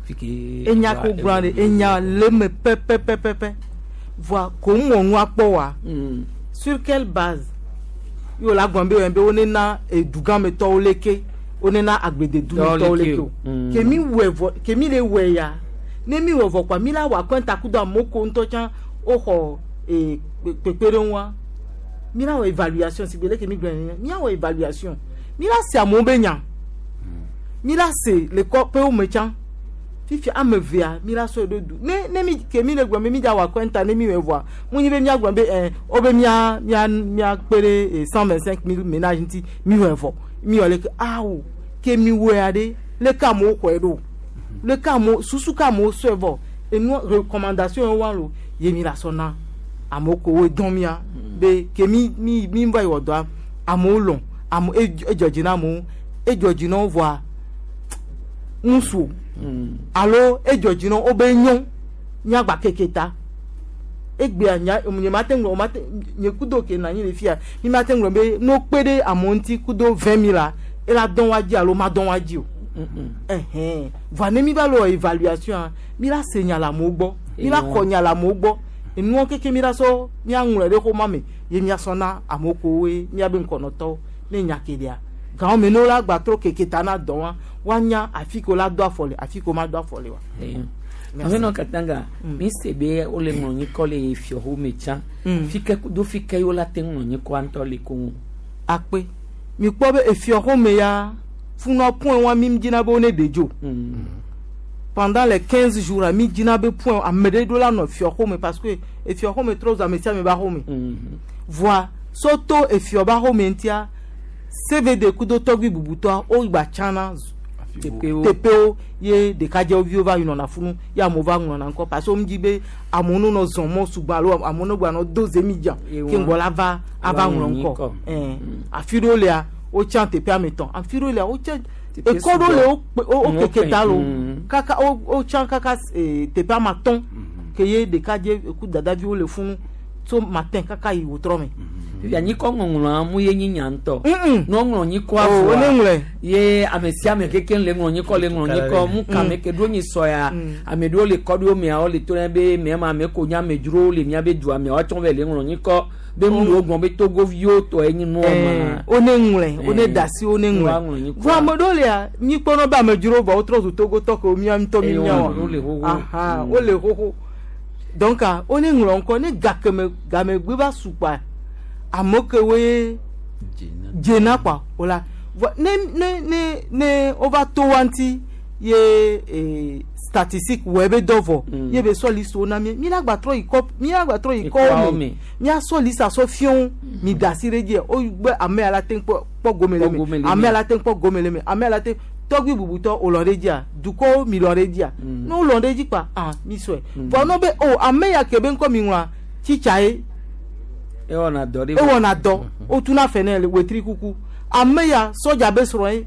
fi ke enya ko grande enya le me pe pe pe pe pe voix ko mo nu apo wa sur quelle base yo la gombe be onena edugan me to oleke onena agbede du me to oleke o ke mi we ke mi le we ya ne mi we vo kwa mi la wa kwenta kudo amoko nto chan o ho e pepere nwa mi la wa évaluation si bele ke mi gbe mi wa évaluation mi la se amo be nya mi la se le ko pe o me chan fifi amevia mi la so do du ne ne mi ke mi le gbe mi ja wa kwenta ne mi we voa mu nyi be mi agbe be eh o be mi a mi a mi a pere cent vingt-cinq mille ménages nti mi we vo mi ole ke awo ke mi we ade le ka mo ko edo le ka mo susu ka mo so vo e nu recommandation wa lo ye mi la so na amoko we don mi a be ke mi mi mi va yo do amo lon amo ejoji na mo ejoji na voa nsu alo ejoji na o be yan nya gba keketa egbe anya omunye matengo mate nye kudo ke na yin le fia mi matengo be no pede amo nti kudo vingt mille e la don wa ji alo ma don wa ji o eh eh va ne mi ba lo évaluation mi la senya la mo gbo mi la konya la mo gbo enu keke mi la so mi anwure de ko mame ye mi aso na amoko we mi abe nkono to ne nya kedia gan me no la gba tro keke ta na don wa wa nya afiko la do afole afiko ma do afole wa Merci. No katanga mi sebe o le ngonyi ko le fioho me chan fike do fike yo la te ngonyi ko anto le ko akpe mi po be efioho me ya funa point wa mi dina be one dejo pendant les quinze jours à mi dina be point a me de la no fioho me parce que efioho me trop za me sia me ba ho me voix soto efio ba ho me ntia C V D kudo togbi bubuto o gba chana T P O ye de kaje ovio va yuna na funu ya mo va ngona nko parce que mi be amonu no zon mo sugba lo amonu gba no doze mi ja ke ngola va ava ngona nko eh afiro le a o chan T P a meton afiro le a o chan e kodo le o o keke lo kaka o o chan kaka T P a maton ke ye de kaje ku dada vi o le funu so matin kaka yi wotro me ya nyi ko ngonglo mu ye nyi nyanto no nglo nyi ko afo ye amesia me keke le nglo nyi ko le nglo nyi ko mu ka me ke do nyi soya ame do le ko do me a o le to na be me ma me ko nya me duro le mia be du ame o ton ve le nglo nyi ko be mu lo gbon be togo vio to enyi nu o ma o ne ngle o ne dasi o ne ngle vo ame do le a nyi ko no ba me duro ba o tro zu togo to ko mi am to mi nya o aha o le hoho donc o ne nglo nko ne gakeme game gbe ba supa amoke we jena kwa ola ne ne ne ne over to wanti ye eh, statistique webe dovo mm. ye be so liste ona mi mi la gba tro ikop mi la gba tro iko mi mi a so liste so fion mi dasire die o gbe ame ala ten po po gomele mi ame ala ten po gomele mi ame ala ten togbi bubuto o lore dia duko mi lore dia no lore ji pa ah mi so bo no be o ame ya kebe nko mi nwa chicha e e wona do e wona do o tuna fene le wetri kuku ameya soja be soro e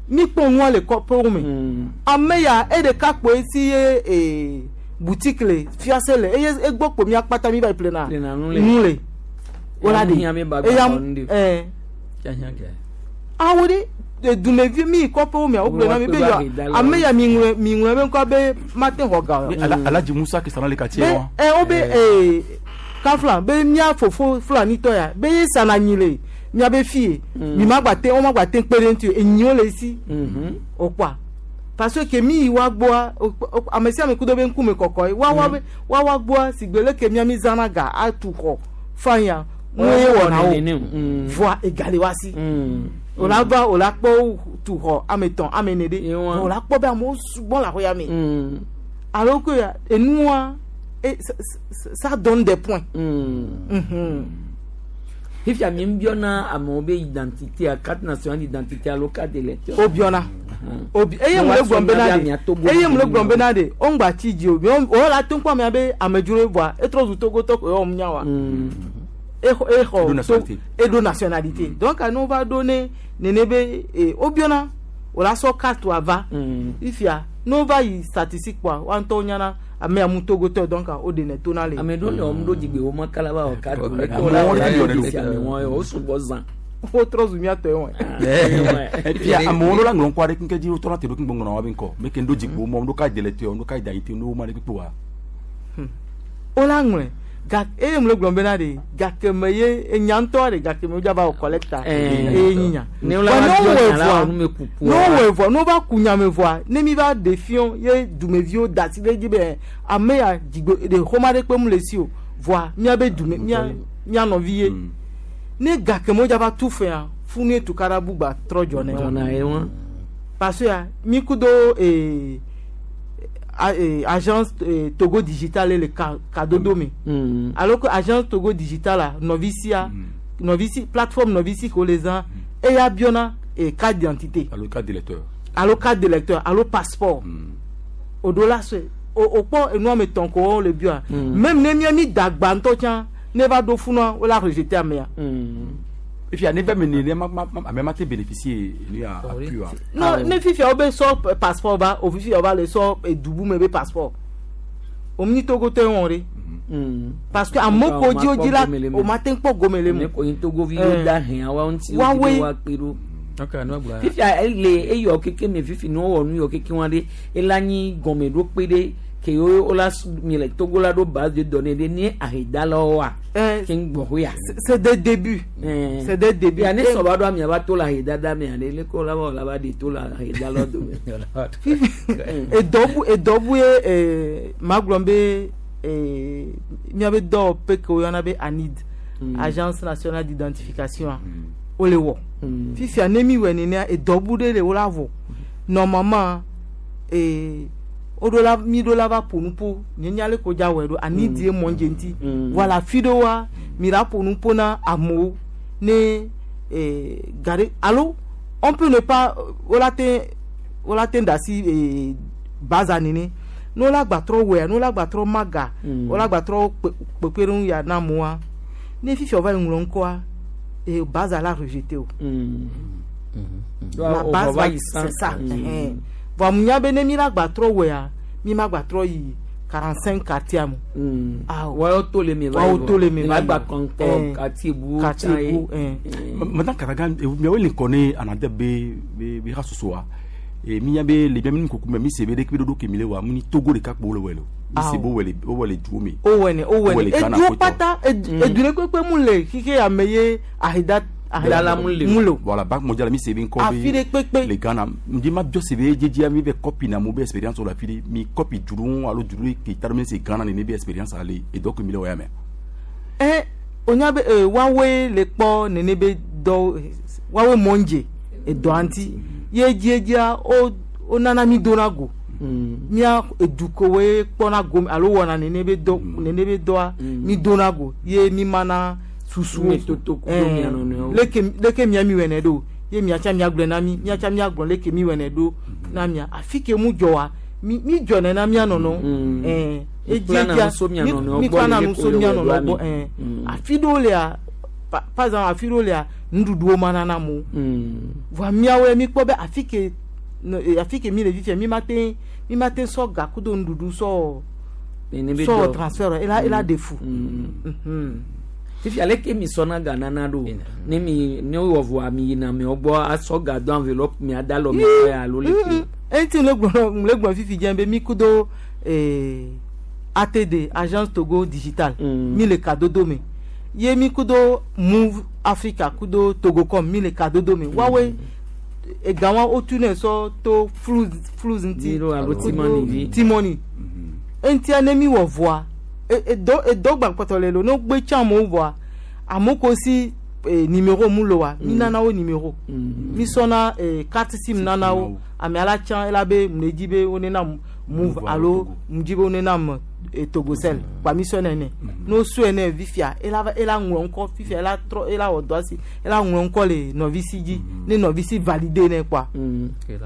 mi pon won le ko po mi ameya e de ka po si e e boutique le fiancé le e e gbo po mi apata mi ba plena nule wala de e ya eh awori de dumevi mi ko po mi o plena mi be yo ameya mi nwe mi nwe be ko be matin hoga Alaji Musa qui sera dans le quartier eh o be eh Kafla be mía fofo fulanitɔ ya be ye sana nyi le miabe fie mi ma gba te wo ma gba te kpe ɖe ŋuti o enyiwo le esi o kpɔa parce que mi yi wa gbɔa ame sia ame ku do be ŋkume kɔkɔ ye wa wa be wa wa gbɔa si gbe leke mia mi zãna ga atu xɔ fanya nu ye wɔna o voa egale wa si o la va o la kpɔ tu xɔ ame etɔ̃ ame ene ɖe o la kpɔ be amewo sugbɔ le axɔya me alors que enua ça donne des points. Fifia mi biona amewo be identité a carte nationale d'identité alo carte d'électeur. O biona. Obi eye mu le gblɔm bena de eye mu le gblɔm bena de o ŋgba tsi dzi o o la te ŋkpɔ amea be amedzro voa etrɔ zu togotɔ ko ye wɔm nya wa. Exɔ exɔ eɖo nationalité donc anu va ɖo ne nene be o biona o la sɔ carte wa va fifia n'o va yi statistique kpɔa wa ŋutɔ nyana ame amu togotɔ donc o de ne tona le. Ame ɖewo le wɔm ɖo dzigbe wo ma kala ba wɔ carte o le ke o la wɔ la ame wɔn o sugbɔ zã. Wotrɔ zu mía tɔ ye wɔn. Fia amewo la ŋlɔ ŋkɔ aɖe keŋ dzi wotrɔ te ɖo keŋ gbɔŋlɔ wa be ŋkɔ me ke ŋɖo dzigbo mɔ ŋɖo ka d'électeur ŋɖo ka d'identité ŋɖo ma ɖe kpekpe wa. O la ŋlɔe gake eye mu le gblɔm bena de gake me ye enya ŋutɔ de gake me wodza va wɔ collecta eye nyinya. Ne wo la va biɔ nya la wɔ nume kuku. Ne wowɔe vɔa ne wova ku nyame vɔa ne mi va ɖe fiɔ ye dumeviwo da asi ɖe edzi be ame ya dzigbe ɖe xɔma ɖe kpe mu le si o vɔa míabe dume mía mía nɔvi ye. Ne gake me wodza va tu fea funu ye tukaɖa bugba trɔ dzɔ ne wɔn. Parce que mi ku do ee agence Togo Digital le kadodo me. Alors que agence Togo Digital la nɔvi sia nɔvi si plateforme nɔvi si ko le zã eya biɔna e carte d'identité. Alo carte d'électeur. Alo carte d'électeur alo passeport. O do la se o o kpɔ enua me tɔn ko wɔn le biɔa. Même ne mía mi dagba ŋutɔ tsã ne va ɖo funua wo la rejeter amea. Fifia ne va me ne ma ma ame ma te bénéficier ni a appui wa. Non ne fifia wo be sɔ passeport va o fifia wo va le sɔ edubu me be passeport. O mi Togo tɔ ye wɔn ɖe. Parce que ame ko dzi wo dzi la o ma te kpɔ gome le mu. Ne ko yin Togovi wo da hɛn wa ŋuti wo dzi wa kpe ɖo. Fifia ele eyɔ keke me fifi ne wowɔ nu yɔ keke wa ɖe ela nyi gɔme ɖo kpe ɖe. Ke wo la mi le Togo la ɖo base de données ɖe ne ahedalawo wa. Ke ŋgbɔ ho ya. C'est des débuts. C'est des débuts. Ya ne sɔba ɖo amia va to le ahedada mea ɖe leke wo la va wɔ la va ɖe to le ahedalawo dome. Edɔbu edɔbu ye magblɔ be miabe dɔwɔƒe ke woyɔna be ANID, Agence nationale d'identification wole wɔ. Fifia ne mi wɔ nenea edɔbu ɖe le wo la vɔ. Normalement ee. Oɖo la mi ɖo la va ƒo nu ƒo nye nya le ko dza wɔe ɖo ani die mɔ dze ŋuti voilà fi ɖe wa mi la ƒo nu ƒo na amewo ne ee gare alo on peut ne pas wo la te wo la te da asi ee baza nene ne wo la gba trɔ wɔea ne wo la gba trɔ ma ga wo la gba trɔ kpekpeɖeŋu ya na amewoa ne fifia wo va yi ŋlɔ ŋkɔa ee baza la rejeté o la base va c'est ça. Vɔ nya be ne mi la gba trɔ wɔea mi ma gba trɔ yi quarante cinq quartier me. Wɔyɔ to le mi va yi wɔyɔ to le mi va yi gba kɔnkɔ quartier bu quartier bu. Maintenant Kataga miawo le ŋkɔ ne anade be be be ha soso wa e mi nya be le mi kuku me mi se be de kpe ɖoɖo ke mi le wa mu ni Togo ɖeka kpo le wɔ le o mi se be wɔ le wɔ le duwo me. O wɔ ne o wɔ ne eduwo kpata edu ɖe kpekpe mu le xixe ame ye aheda. Dala mu le o. Voilà Banque mondiale mi se be ŋkɔ be le Ghana ndi ma biɔ se be dzedzia mi bɛ copie na mo be expérience la fi de mi copie duru alo duru ke ta mi se Ghana ne be expérience ale et donc mi le wɔ ya mɛ. Ɛ o nya be ee woawoe le kpɔ nene be dɔ woawoe mɔndze edɔa ŋuti ye dziedzia o o nana mi dona go. Mía edukowoe kpɔna go alo wɔna nene be dɔ nene be dɔa mi dona go ye mi mana. Susuwo leke leke mia mi wɛnɛ ɖo ye miatsa miagblɔe na mi miatsa miagblɔ leke mi wɛnɛ ɖo na mia afi ke mu dzɔ wa mi mi dzɔ nɛ na mia nɔnɔ ɛɛ edzedzia mi kplana nu so mia nɔnɔ gbɔ ɛɛ afi ɖewo lia par exemple afi ɖewo lia nuɖuɖuwo ma nana mo voa miawoe mi kpɔ be afi ke afi ke mi le fifia mi ma te mi ma te sɔ gakudo nuɖuɖu sɔ sɔ transfert ela ela de fu. Fifia leke mi sɔna ga nana ɖo ne mi ne wɔ vɔa mi yina mi gbɔ asɔ ga do enveloppe mi ada lɔ mi xɔ ya alo leke. Eŋuti le gblɔ le gblɔ fifi dze be mi kudo ee A T D, Agence Togo Digital, mi le kadodo me ye mi kudo Move Africa kudo Togocom mi le kadodo me wawe ega wa wotu ne sɔ to flus flus ŋuti. Mi ɖo alo T-Money vi. T-Money eŋutia ne mi wɔ vɔa e- edɔ edɔ gba kpɔtɔ le lo ne wogbe tsã amewo vɔa amewo ko si eh, numéro mu lo wa mi nana wo numéro mi sɔna eh, carte SIM nana wo ame la tsã ela be mu dzi be wo ne na Move alo mu dzi be wo ne na mu eh, Togocel kpa mi sɔ nene ne wo sɔe ne fifia ela va ela ŋlɔ ŋkɔ fifia ela trɔ ela wɔ dɔ asi ela ŋlɔ ŋkɔ le nɔvi si dzi ne nɔvi si valide ne kpoa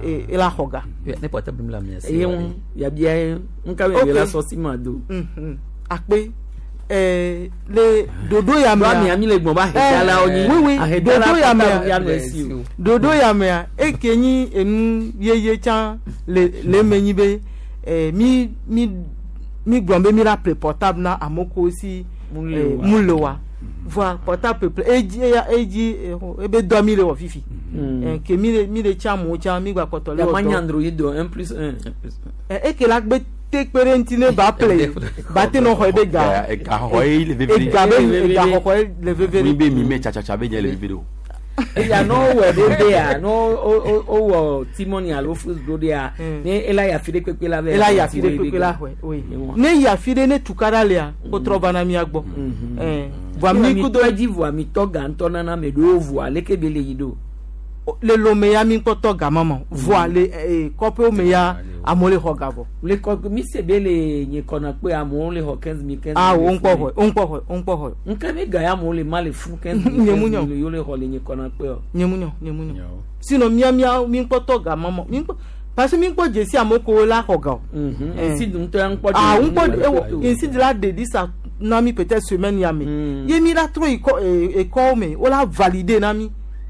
eh, ela xɔ ga. Ne portable mi la mi eye ŋu yabia ye ŋka mi Ok. la sɔ si ma do. Mhm. Akpe eh, le dodo ya mea Ɖo ami- ami le gbɔn ba ahedalawo nyi. oui oui Ahedala dodo ya portable ya mea nɔ esi o. Dodo ya mea eke nyi enu yeye tsã le le eme nyi be eh, mi mi mi gblɔ be mi la ple portable na amewo ko si Mu le eh, wa. mu le wa voa portable ple edzi eya edzi eh, ebe dɔ mi le wɔ fifi. Mm. Eh, ke mi le mi le tsã amewo tsã mi gba kpɔtɔ le wɔ Yamanya dɔ. Android do un plus un. Eh, eke la gbe te kpe ɖe ŋuti ne ba ple ba te nɔ xɔ ebe ga. Ega xɔxɔ ye le veve. Ega be ega xɔxɔ ye le veve. Mi be mi me tsatsatsa be nye le veve o. Eya no wɔ ɖo ɖea no o o wɔ T-Money alo Flooz ɖo ɖea ne ela yi afi ɖe kpekpe la vɛ. Ela yi afi ɖe kpekpe la xɔe oui ne yi afi ɖe ne tukaɖa lia wotrɔ va na mía gbɔ. Eh, voa mi mi kudo tɔ dzi voa mi tɔ ga ŋutɔ nana ame ɖewo voa leke be le yi ɖo. Le Lome ya mi kpɔtɔ ga ma ma voa le eh, kɔƒewo me ya amewo le xɔ ga vɔ. Le kɔ mi se be le nye kɔna kpe amewo le xɔ quinze mille quinze Ah mille. wo ŋkpɔ xɔe wo ŋkpɔ xɔe wo ŋkpɔ xɔe. Nke mi ga ya amewo le ma le fún quinze mille Nye mu quinze nyɔ. mille yewo le xɔ le nye kɔna kpe o. Nye mu nyɔ nye mu nyɔ sinon mía mía mi ŋkpɔtɔ ga ma ma mi ŋkpɔ parce que mi ŋkpɔ dzesi amewo ko la xɔ ga o. Eh. Nsi dun ŋutɔ ya ŋkpɔ Ah de- ŋkpɔ ewo nsi de la ɖe lisa na mi peut-être semaine ya me ye mi la trɔ yi kɔ eh, ekɔwo me wo la valider na mi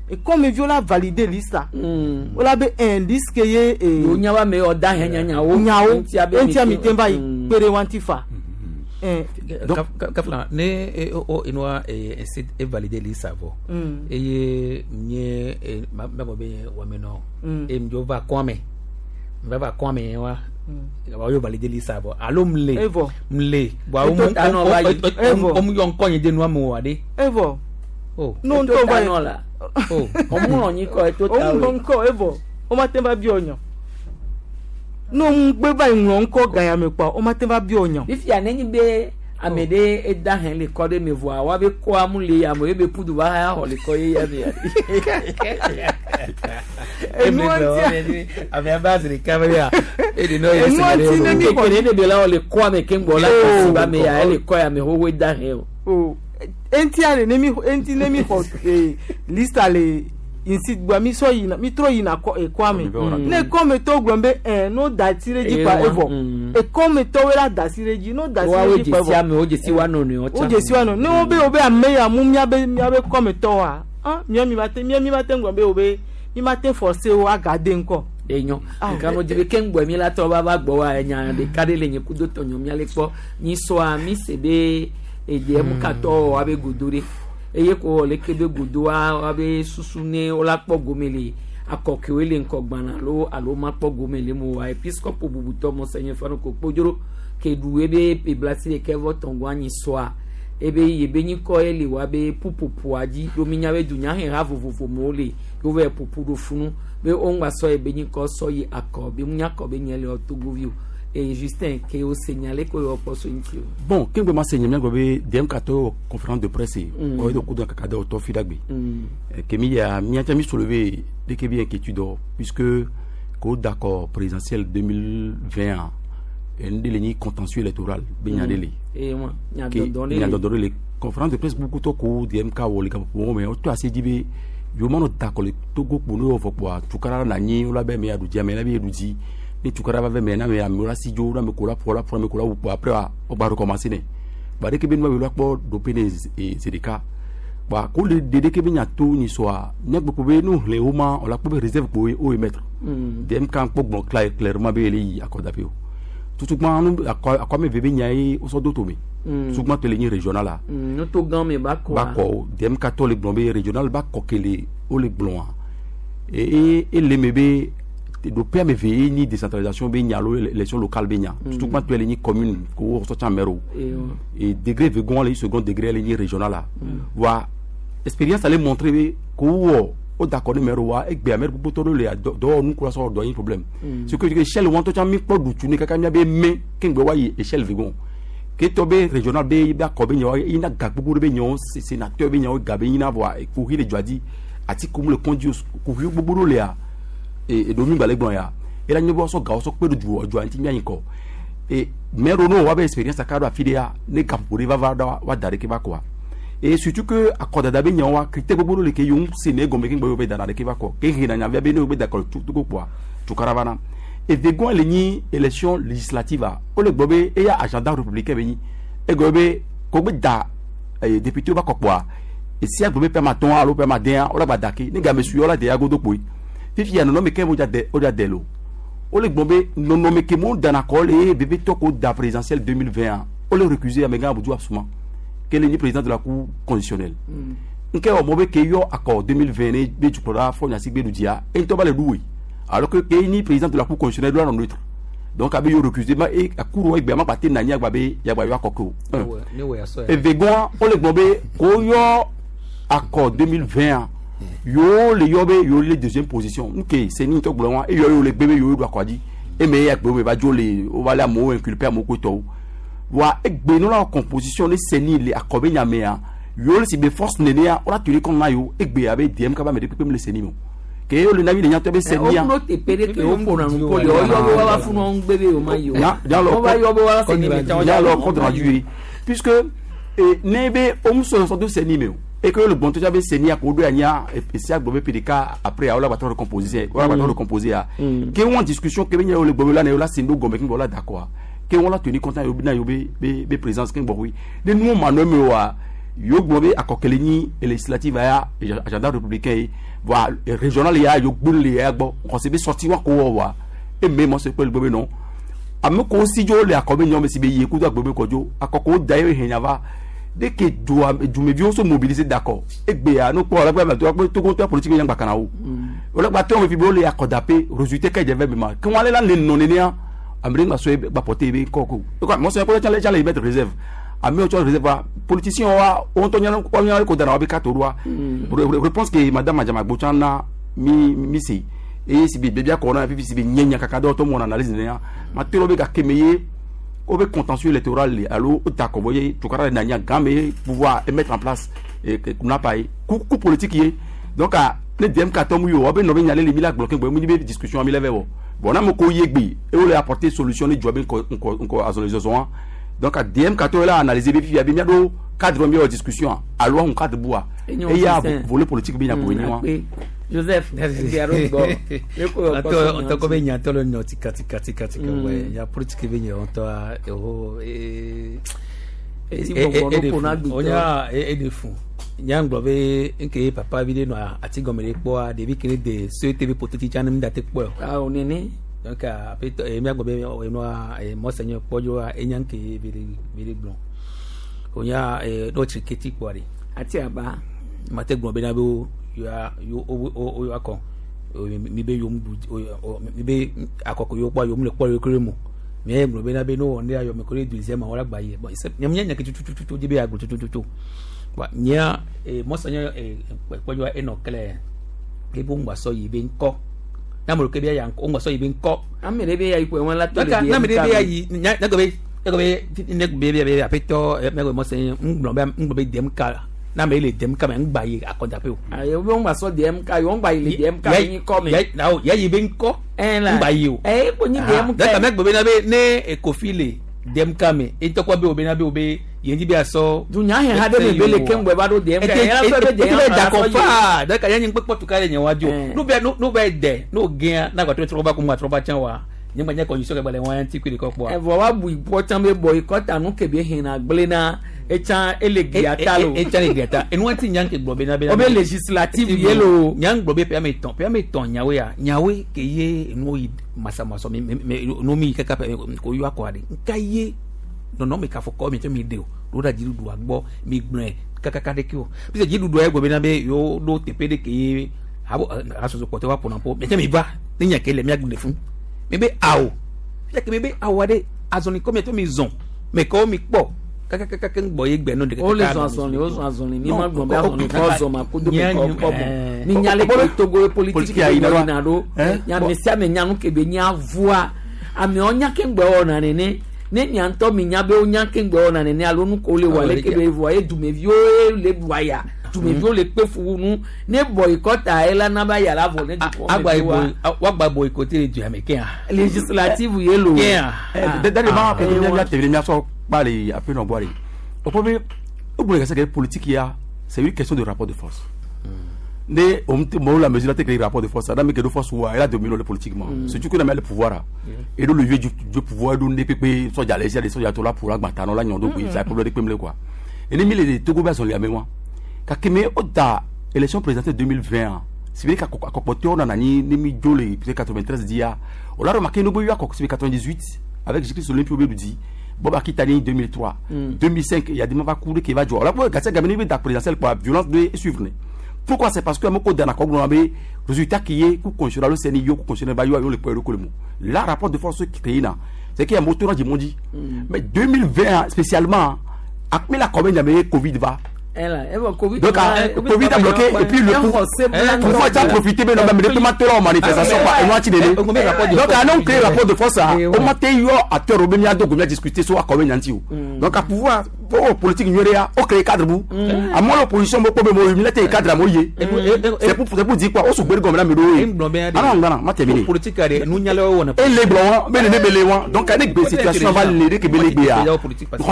ekɔ me vi wo la valider lista wo la be un liste ke ye. eh, Yo nya ba me yɔ da hɛn nyanyawo. Nyawo Ŋutia be eŋutia mi mi te va yi kpe ɖe wa ŋuti fa. Eh, Kafla ne e o inua e e e valide li savo. Mm. Eye nye e ma ma be wa meno. Mm. E mjo va kwame. Va va kwame wa. Mm. Wa yo valide li savo. Alo mle. Evɔ. Mle. Wa Eto o ta nɔ va yi. Evɔ. o mu yɔ ŋkɔ nye de nua mo wa de. Evɔ. Oh. No Eto ŋutɔ ta va yi. nɔ la. Oh. Ɔmu nɔ kɔ eto ta Òun o. ŋkɔ evɔ o ma te va biɔ nyɔ ne òun gbé va yi ŋlɔ ŋkɔ gaya me kpɔ o ma te va biɔ nyɔ. Fifia nenyi be ame ɖe eda hɛn le kɔ ɖe me voa wa be kɔa mu le ame ye be pudu va hã xɔ le kɔ ye ya me ya. Enu ŋutia Ame aba ziri kamera. E de no ye Enu ŋuti ne mi xɔ Keke ne be la wɔ le kɔa me keŋ gbɔ la kasi ba me ya ele kɔ ya me xoxo eda hɛn o. O eŋutia le ne mi eŋuti ne mi xɔ ee lista le nsi gba mi sɔ yina mi trɔ yina kɔ ekɔa me ne ekɔ me tɔ gblɔ be ɛ n'o da si ɖe dzi kpa Ewa, evɔ mm. ekɔ me tɔwoe la da si ɖe dzi n'o da si Wa ɖe wo dzi kpa dzesi evɔ ame wo dzesi wa nɔnɔewo wo tsã. dzesi wa nɔ ne wo be wo be ame ya mu miabe miabe kɔme tɔ wa ah mia mi ma te mia mi ma te ŋgɔ be wo be mi ma te forcer wo agade ŋkɔ. Enyo Ah. nka no dzibe keŋ gbɔ mi la tɔ va va gbɔ wa enya ɖeka ɖe le nye kudo tɔnyɔ mia le kpɔ nyi sɔa mi se be edeɛ mu katɔ wa be godo ɖe eye ko wɔ leke be godo wa wa be susu ne wo la kpɔ gome le akɔkewoe le ŋkɔgbana alo alo ma kpɔ gome le mo wa episcopo bubutɔ mɔsɛnyɛ fana ko kpodzro ke ɖu ebe peblasi ɖeke vɔ tɔngo anyi sɔa ebe yebe nyikɔ ye le wa be ƒuƒoƒoa dzi ɖo mi nya be dunyaheha vovovo me wo le yewo va ƒoƒu ɖo funu be wo ŋgba sɔ ebe nyikɔ sɔ yi akɔ be mu nya kɔ be nye le wɔ togovi o eye Justin ke wo se nya le ko yɔ kpɔ so ŋuti o. Bon kengbe ma se nye miagblɔ be D M katɔ wɔ conférence de presse Mm. kɔ edo kudo kaka de wòtɔ fi ɖagbe. Mm. Eh, ke mi ya miatsa mi soulever ɖeke bi inquiétude o puisque ko d'accord présidentielle deux mille vingt enu ɖe le nyi contentieux électoral be nya ɖe le. Eye wa nya Ke dɔdɔ ɖe nya le. dɔdɔ ɖe le conférence de presse bubu tɔ ko D M K wɔ le gaƒoƒo me wotɔ asi dzi be yewo manɔ dakɔ le Togo kpo ne wɔ vɔ kpoa tukara na nyi wo la be ame ya ɖu dzi ame la be yeɖu dzi ne tukara va ve me na ame amewo la si dzo na ame ko la ƒo la ƒo ame ko la wu kpoa après wa wogba recommencer ne ba ɖeke be nua be la kpɔ ɖoƒe ne zi eh, zi ɖeka ba ko le ɖe ɖeke be nya to nyi sɔa míagbe ko be nu hlẽ wo ma wòla kpɔ be réserve kpo wo émettre. Mm. D M K kpɔ gblɔ cla- clairement be yele yi akɔdaƒe o tutugbã nu akɔ akɔame ve be nya ye wosɔ do tome. Mm. Tutugbã tɔ le nyi régional la Mm, nuto gã me ba kɔa. ba kɔ o D M K tɔ le gblɔ be régional ba kɔ ke le wo le gblɔa e e ele me be Do pe ame ve ni décentralisation be nya lo élection locale be nya. Surtout quand tu es ni commune ko sorti maire. Et degré vegon le second degré le ni régional là. Wa expérience allait montrer ko wo o d'accord ni maire wa e gbe maire gbogbo to le do nu ko so do yin problème. Ce que échelle won to mi po du tu ni kaka mi be me kengbe wa yi échelle vegon. Ke to be régional be be ko be nyo ina ga gbogbo be nyo sénateur be nyo ga be ina voa ko hi le joadi ati ko mu le conduit ko hi gbogbo le a e domi gbale gbon ya e la nyobo so ga so pe du ojo anti mi ayin ko e mero no wa be expérience aka do afide ya ne gampore va va da wa dare ke ba quoi et surtout que akodada be nyan wa critère gbogbo le ke yon se ne gombe ke gbo be dara ke ba ko ke hina nya be ne be d'accord tout tout quoi tout caravana et vegon le ni élection législative a o le gbobe e ya agenda républicain be ni e gbobe ko be da député ba ko quoi et si a gbobe pe ma ton alo pe ma den o la ba dake ni ga me su o la de ya godo poi fifi ya nono meke moja de oja delo o le gbombe nono meke mo dana ko le bébé toko da présidentielle deux mille vingt o le récuser amega Abdou Absouma quel est le président de la cour constitutionnelle nke o mobe ke yo accord deux mille vingt be jukora fo nya sigbe dudia en to ba le doué alors que ke ni président de la cour constitutionnelle doit neutre donc abe yo récuser ma e akuru egbe ma pate na nya gba be ya gba yo akoko et vegon o le gbombe ko yo accord deux mille vingt yo le yobe yo le deuxième position OK c'est ni to gbon e yo yo le gbebe yo do akwadi e me ya gbebe ba jo le o ba la mo inculper mo ko to wa e gbe no la composition le seni le akobe nya me ya yo le si be force nene ya o la turi kon na yo e gbe abe D M ka ba me de pepe me le seni mo ke yo le nabi le nya to be seni ya o no te pere ke o pona no ko yo yo wa wa funu on gbebe o ma yo o ba yo wa seni me ta ya lo compte rendu puisque e ne be o muso so do seni me et que le bon tout avait saigné à Kodo Anya et c'est à Gobé P D K après à la bataille recomposer à la bataille recomposer à que on discussion que bien le Gobé là là c'est nous Gobé qui voilà d'accord que on l'a tenu compte yo na yo be be présence qui bon oui de nous mano wa yo Gobé à Kokeleni législative à agenda républicain voilà régional ya yo gbole ya gbo on s'est sorti wa ko wa et même on se peut le Gobé non à me considérer le akobé nyom si be ye ku do Gobé kojo akoko daye henyava dès que Dumevion se mobiliser d'accord et que nous quoi la tout politique yang bakana o ola ba to me fibo le akodapé résultat que j'avais même quand on allait là le non né amri ma so ba porter be koko quoi moi c'est pour les les mettre réserve ami o réserve politicien wa on to nyana ko nyana ko dana wa be kato roi réponse que madame Majama Bochana mi mi si et si be bia ko na fi si be nyenya kaka do to mon analyse né ma telo be ka kemeye au contentieux électoral allo d'accord voyez tout cas na gamé pouvoir mettre en place et qu'on n'a pas coup coup politique yé donc à le D M K tomu yo obe no be nyale le mila bloqué bo mu ni discussion mi leve bon na mo ko yegbe et on le apporter solution ni job ko ko azon donc à D M K to là analyser be fi abi mi do cadre mi discussion allo on cadre bois et y a volet politique bien pour ni Joseph, on t'a comme il y a tout le nom tika tika tika tika ouais il y a politique bien on t'a et et on y a et de fou il y a un globe que papa vidé no ati gomele po de bi kele de ce T V potiti channel mi date po ah on est né donc après et mi globe no monseigneur pojo e nyanke vide vide blanc on y a d'autres keti po ari ati aba mate globe na bo yo yo o yo akon mi be yo mi be akoko yo pa yo mu le po yo kere mo mi e gbe na be no on ayo mi kore deuxième wala gba ye bon c'est nya nya ke tu tu tu be agbo tu tu tu wa nya e monseigneur e po yo e no kele ke bo ngba so yi be nko na mo ke be ya nko ngba so yi be nko amere be ya ipo won la to le na me be ya yi nya na be na be ne be be be apeto me go monseigneur ngbo be ngbo be dem ka na me le dem ka me ngba yi akodape o aye o ngba so dem ka yo ngba ile dem ka yin ko me ya ya yi be nko ngba yi o eh ko ni dem ka da me gbe na be ne e kofile dem ka me e to ko be o be na be o be ye nji be aso dunya he ha de me be le ke ngbe ba do dem ka ya so be dem e da ko fa da ka ya nyi pe potu ka le nyen wajo no be no be de no gen na gba to tro ba ko mu atro ba chan wa nyegba nye condition ke gbale wan ti kiri ko po e vo wa bu ipo chan be bo ikota nu ke be hin na gble na e chan ele giata lo e chan ele giata enu ti nyan ke gbo be na be o be législative yelo nyan gbo be pe me ton pe me ton nyawe ya nyawe ke ye enu yi masa masa me me no mi kaka pe ko yu akwade nka ye no no me ka fo ko mi to mi de o do da jiru do agbo mi gbon kaka ka de ki o bi se jiru do e gbo be na be yo do tepe de ke ye abo aso so ko te wa pona po me te mi ba Ne nya ke le mia gbe fún. Mi be awo. Fia ke mi be awo ade azɔli kɔ mi to mi zɔn. Mɛ kɔ mi kpɔ kakakaka ń gbɔ ye gbɛ no de. O le zɔn azɔli o zɔn azɔli mi ma gbɔn bɛ azɔli kɔ zɔn ma ko do mi kɔ kɔ bɔn. Mi nya le ke Togo ye politique ye na do. Nya me sia me nya nu ke be nya voa. Amewo nya ke ŋgbɛ wɔna nene. Ne nya ŋutɔ mi nya be wo nya ke ŋgbɛ wɔna nene alo nu ko le wɔ ale ke be voa ye dumeviwo le bua ya. Dumeviwo le kpe fu nu. Ne boycott ye la na ba yàrá vɔ ne dukɔ agba me wa. wagba boycotté le du ame kea. Législative ye lo. Kea. Dade ma ke mi ya tevele mi aso kpa le ape no boire. O problème o bole ka politique ya c'est une question de rapport de force. Ne on mo la mesure la te rapport de force da me ke de force wa elle a dominé le politiquement. Surtout qu'on a le pouvoir et do le vieux du du pouvoir do ne pepe soja les les soja to la pour agbata no la nyondo ko ça problème de pemle quoi. Et ne mi le Togo ba son le ame wa. Kakeme o da élection présidentielle deux mille vingt c'est vrai qu'à on a ni ni jolé quatre-vingt-treize dia on a remarqué nous boyo quatre-vingt-dix-huit avec Jésus Olympio Beludi Bob Akitani deux mille trois deux mille cinq il y a des moments cours qui va jouer on a gâté gagner da présidentielle quoi violence de suivre. Pourquoi? C'est parce que amoko dana ko gbona be résultat qui est ku constitutionnel le C N I yo ku constitutionnel ba yo le point le mot la rapport de force qui créé là c'est qu'il y a moteur du monde mais deux mille vingt spécialement akmi la commune y Covid va. Covid, donc Covid a bloqué et puis le pouvoir a profité mais non même les en manifestation quoi et moi tu donc à non créer rapport de force au matin yo acteur au bien donc bien discuter sur combien nanti donc à pouvoir politique nyuria au créer cadre bout à moi l'opposition mo problème mo militaire cadre mo yé c'est pour c'est pour dire quoi on se gbé comme la medo ah non non ma terminé politique are nous nyale wona et les blancs mais les belé donc avec des situations va les que belé ya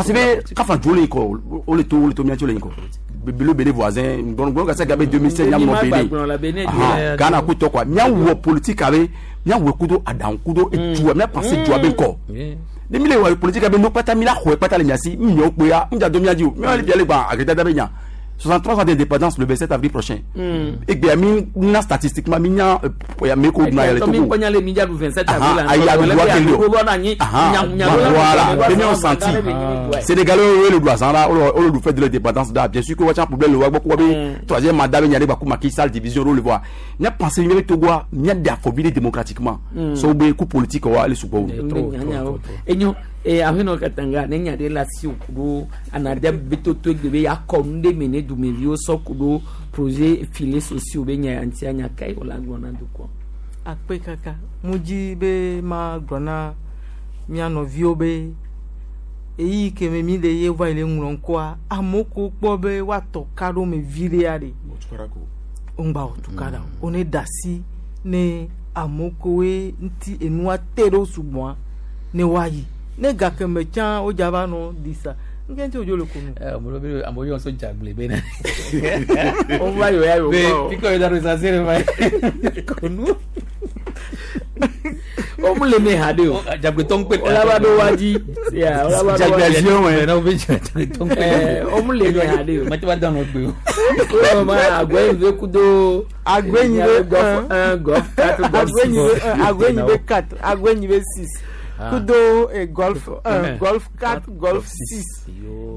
c'est ka fa joli ko o le to o le to mi joli ko le béné voisin bon bon ça gabe deux mille sept nyam no béné Ghana ko to quoi nya wo politique avec nya wo kudo adan kudo et tu m'a pensé tu ben ko ni mi le wa politique avec no pata mi la xo pata le nyasi mi nyo pe ya nja do mi adi o mi ali bi ale gba agreta da be nya soixante-trois ans d'indépendance le vingt-sept avril prochain. Et bien mi na statistiquement mi nya ya me ko na le Togo. Mi le mi ja du vingt-sept avril. Ah ya do voilà, bien on senti. Sénégalais le droit là, on le fait de l'indépendance là, bien sûr que wa problème le wa ko troisième mandat nya ba ko Macky Sall division le voir. Nya pensé mi Togo nya d'afobile démocratiquement. So be coup politique wa le subo. Enyo e ahino katanga ne nya de la si kudo anade bitoto gbebe ya konde mene dumevio so kudo projet filets sociaux be nya anti anya kai ola gbona duko akpe kaka muji be ma gbona mia nɔviwo be eyi ke me mi le ye va le ŋlɔ ŋkɔa amewo kpɔ be woatɔ ka ɖo me vi ɖe ya ɖe ŋgba wò tukara o ne da si ne amewo koe ŋuti enua te ɖo sugbɔa ne woayi ne gake me tsã wo dza va nɔ disa nke ŋuti wodzo le ko nu. Ɛ ame amewo yɔ so dzagble be na. O va yɔ ya yɔ kɔ. Be pikɔ yi da ɖo sase ɖe va ko nu. O mu le me ha de o. Dzagble tɔ ŋkpe. O la va ɖo wa dzi. Ya o la va ɖo wa dzi. Dzagble wɛ na o be dzagble tɔ ŋkpe. Ɛ o mu le me ha de o. Mate va dan nɔ gbe o. O ma agbɛnyi ve kudo. Agbɛnyi ve golf un golf quatre golf six. Agbɛnyi ve un agbɛnyi ve quatre agbɛnyi ve six. Kudo eh, golf un golf quatre golf six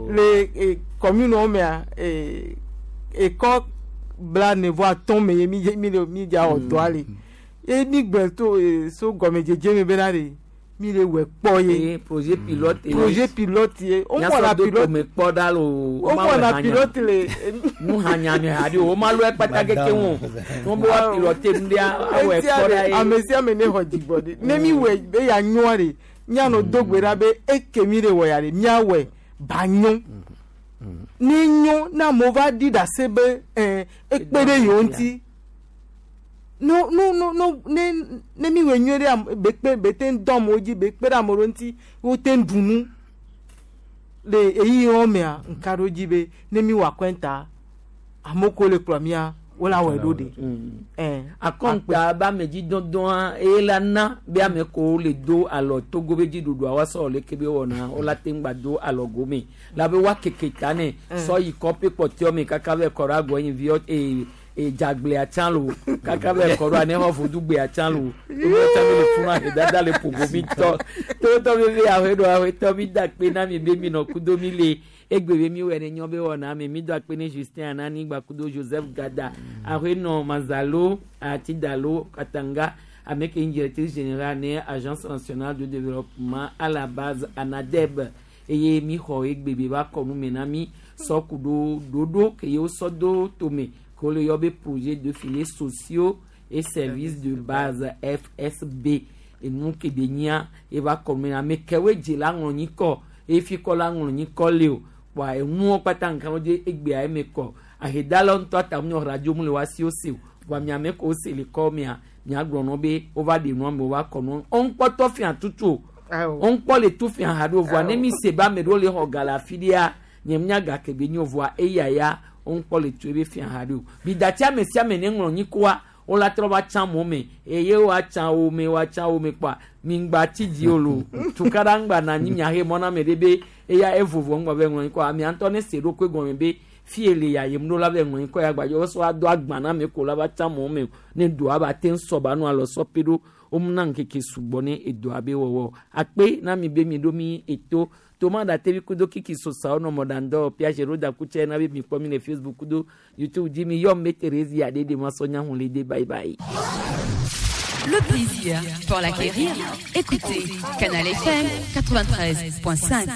le eh, commune wo mea eh, ekɔ bla nevo atɔ̃ me ye mi mi le mi dza wɔ dɔa le ye mi gblẽ to eh, so gɔmedzedze me bena de mi le wɔ kpɔ ye projet pilote ye projet pilote ye o mɔna pilote me kpɔ da lo o mɔna pilote le nu hanya mi ha de o ma lɔ ekpata keke ŋu o bɛ wa pilote nu de awɔ ekpɔ da ye ame sia ame ne xɔ dzigbɔ de ne mi wɔ be ya nyɔa de mianɔ do gbe ɖa be eke mi le wɔ ya de miawɔe ba nyɔ ne nyɔ ne amewo va ɖi ɖase be ɛɛ ekpe ɖe yewo ŋuti no no no no ne ne mi wɔ nyuie ɖe be kpe be te dɔ amewo dzi be kpe ɖe amewo ŋuti wo te ɖu nu le eyi wɔn mea nka ɖo dzi be ne mi wɔ akɔnta amewo ko le kplɔ mia wo la wɔe ɖo de. Akɔnta be ame dzi dɔdɔa eye la na be ame ko le do alɔ Togo be dziɖuɖua wa sɔ le ke be wɔna wo la te ŋgba do alɔ gome la be wa keke ta ne sɔ yi kɔpe kpɔtɛɔ me kaka be kɔ ɖe agbɔ yin vi ee dzagble atsã lo kaka be kɔ ɖo ane xɔ vodugbe atsã lo owó tsã mi le funu ahedada le ƒogo mi tɔ totɔ bebe ahe ɖo ahe tɔ mi da kpe na mi be mi nɔ kudo mi le egbe be mi wɔ ne nyɔ be wɔna me mi do akpe ne Justin Anani gba kudo Joseph Gada ahe nɔ Mazalo Atidalo Katanga Ame ke nye directrice générale ne Agence nationale de développement à la base, ANADEB, eye mi xɔ egbe be va kɔ nu me na mi sɔ ku ɖo ɖoɖo ke ye wosɔ do tome ke wole yɔ be projet de filets sociaux et services de base, F S B. Enu ke be nyia eva kɔ nu me na ame kewoe dze la ŋlɔ nyikɔ eye fi kɔ la ŋlɔ nyikɔ le o kpoa enuwo kpata nka wo dze egbea eme kɔ ahedalawo ŋutɔ ata mu radio mu le wa si wo se o voa miame ko se le kɔ mia miagblɔ nɔ be wova ɖe nua me wova kɔ nua wo ŋkpɔtɔ fia tutu o wo ŋkpɔ le tu fia ha ɖo voa ne mi se be ame ɖewo le xɔ ga le afi ɖia nye mia ga ke be nyo voa eya ya wo ŋkpɔ le tu ebe fia ha ɖo bidati ame sia ame ne ŋlɔ nyikoa wola trɔ va tsã mɔ me eye woatsã wo me woatsã wo me kpoa mi ŋgba tsi dzi o lo tukaɖa ŋgba na anyi miahe mɔ na ame ɖe be eya evovo ŋgba be ŋlɔ nyikɔ amea ŋutɔ ne se ɖokui gɔme be fie le ya yem ɖo la be ŋlɔ nyikɔ ya gbadze wosɔ ado agba na ame ko la va tsã mɔ me ne doa ba te ŋsɔ ba nu alɔ sɔ pe ɖo womna ŋkeke sugbɔ ne edoa be wɔwɔ akpe na mi be mi ɖo mi eto toma da tevi kudo kiki sosawo nɔ mɔɖandɔ piage roda kutse na be mi kpɔ mi le Facebook kudo YouTube dzi mi yɔ me Thérésia ɖe ma sɔ nya hun le de bye bye. Le plaisir, pour l'acquérir, écoutez Canal F M quatre-vingt-treize point cinq.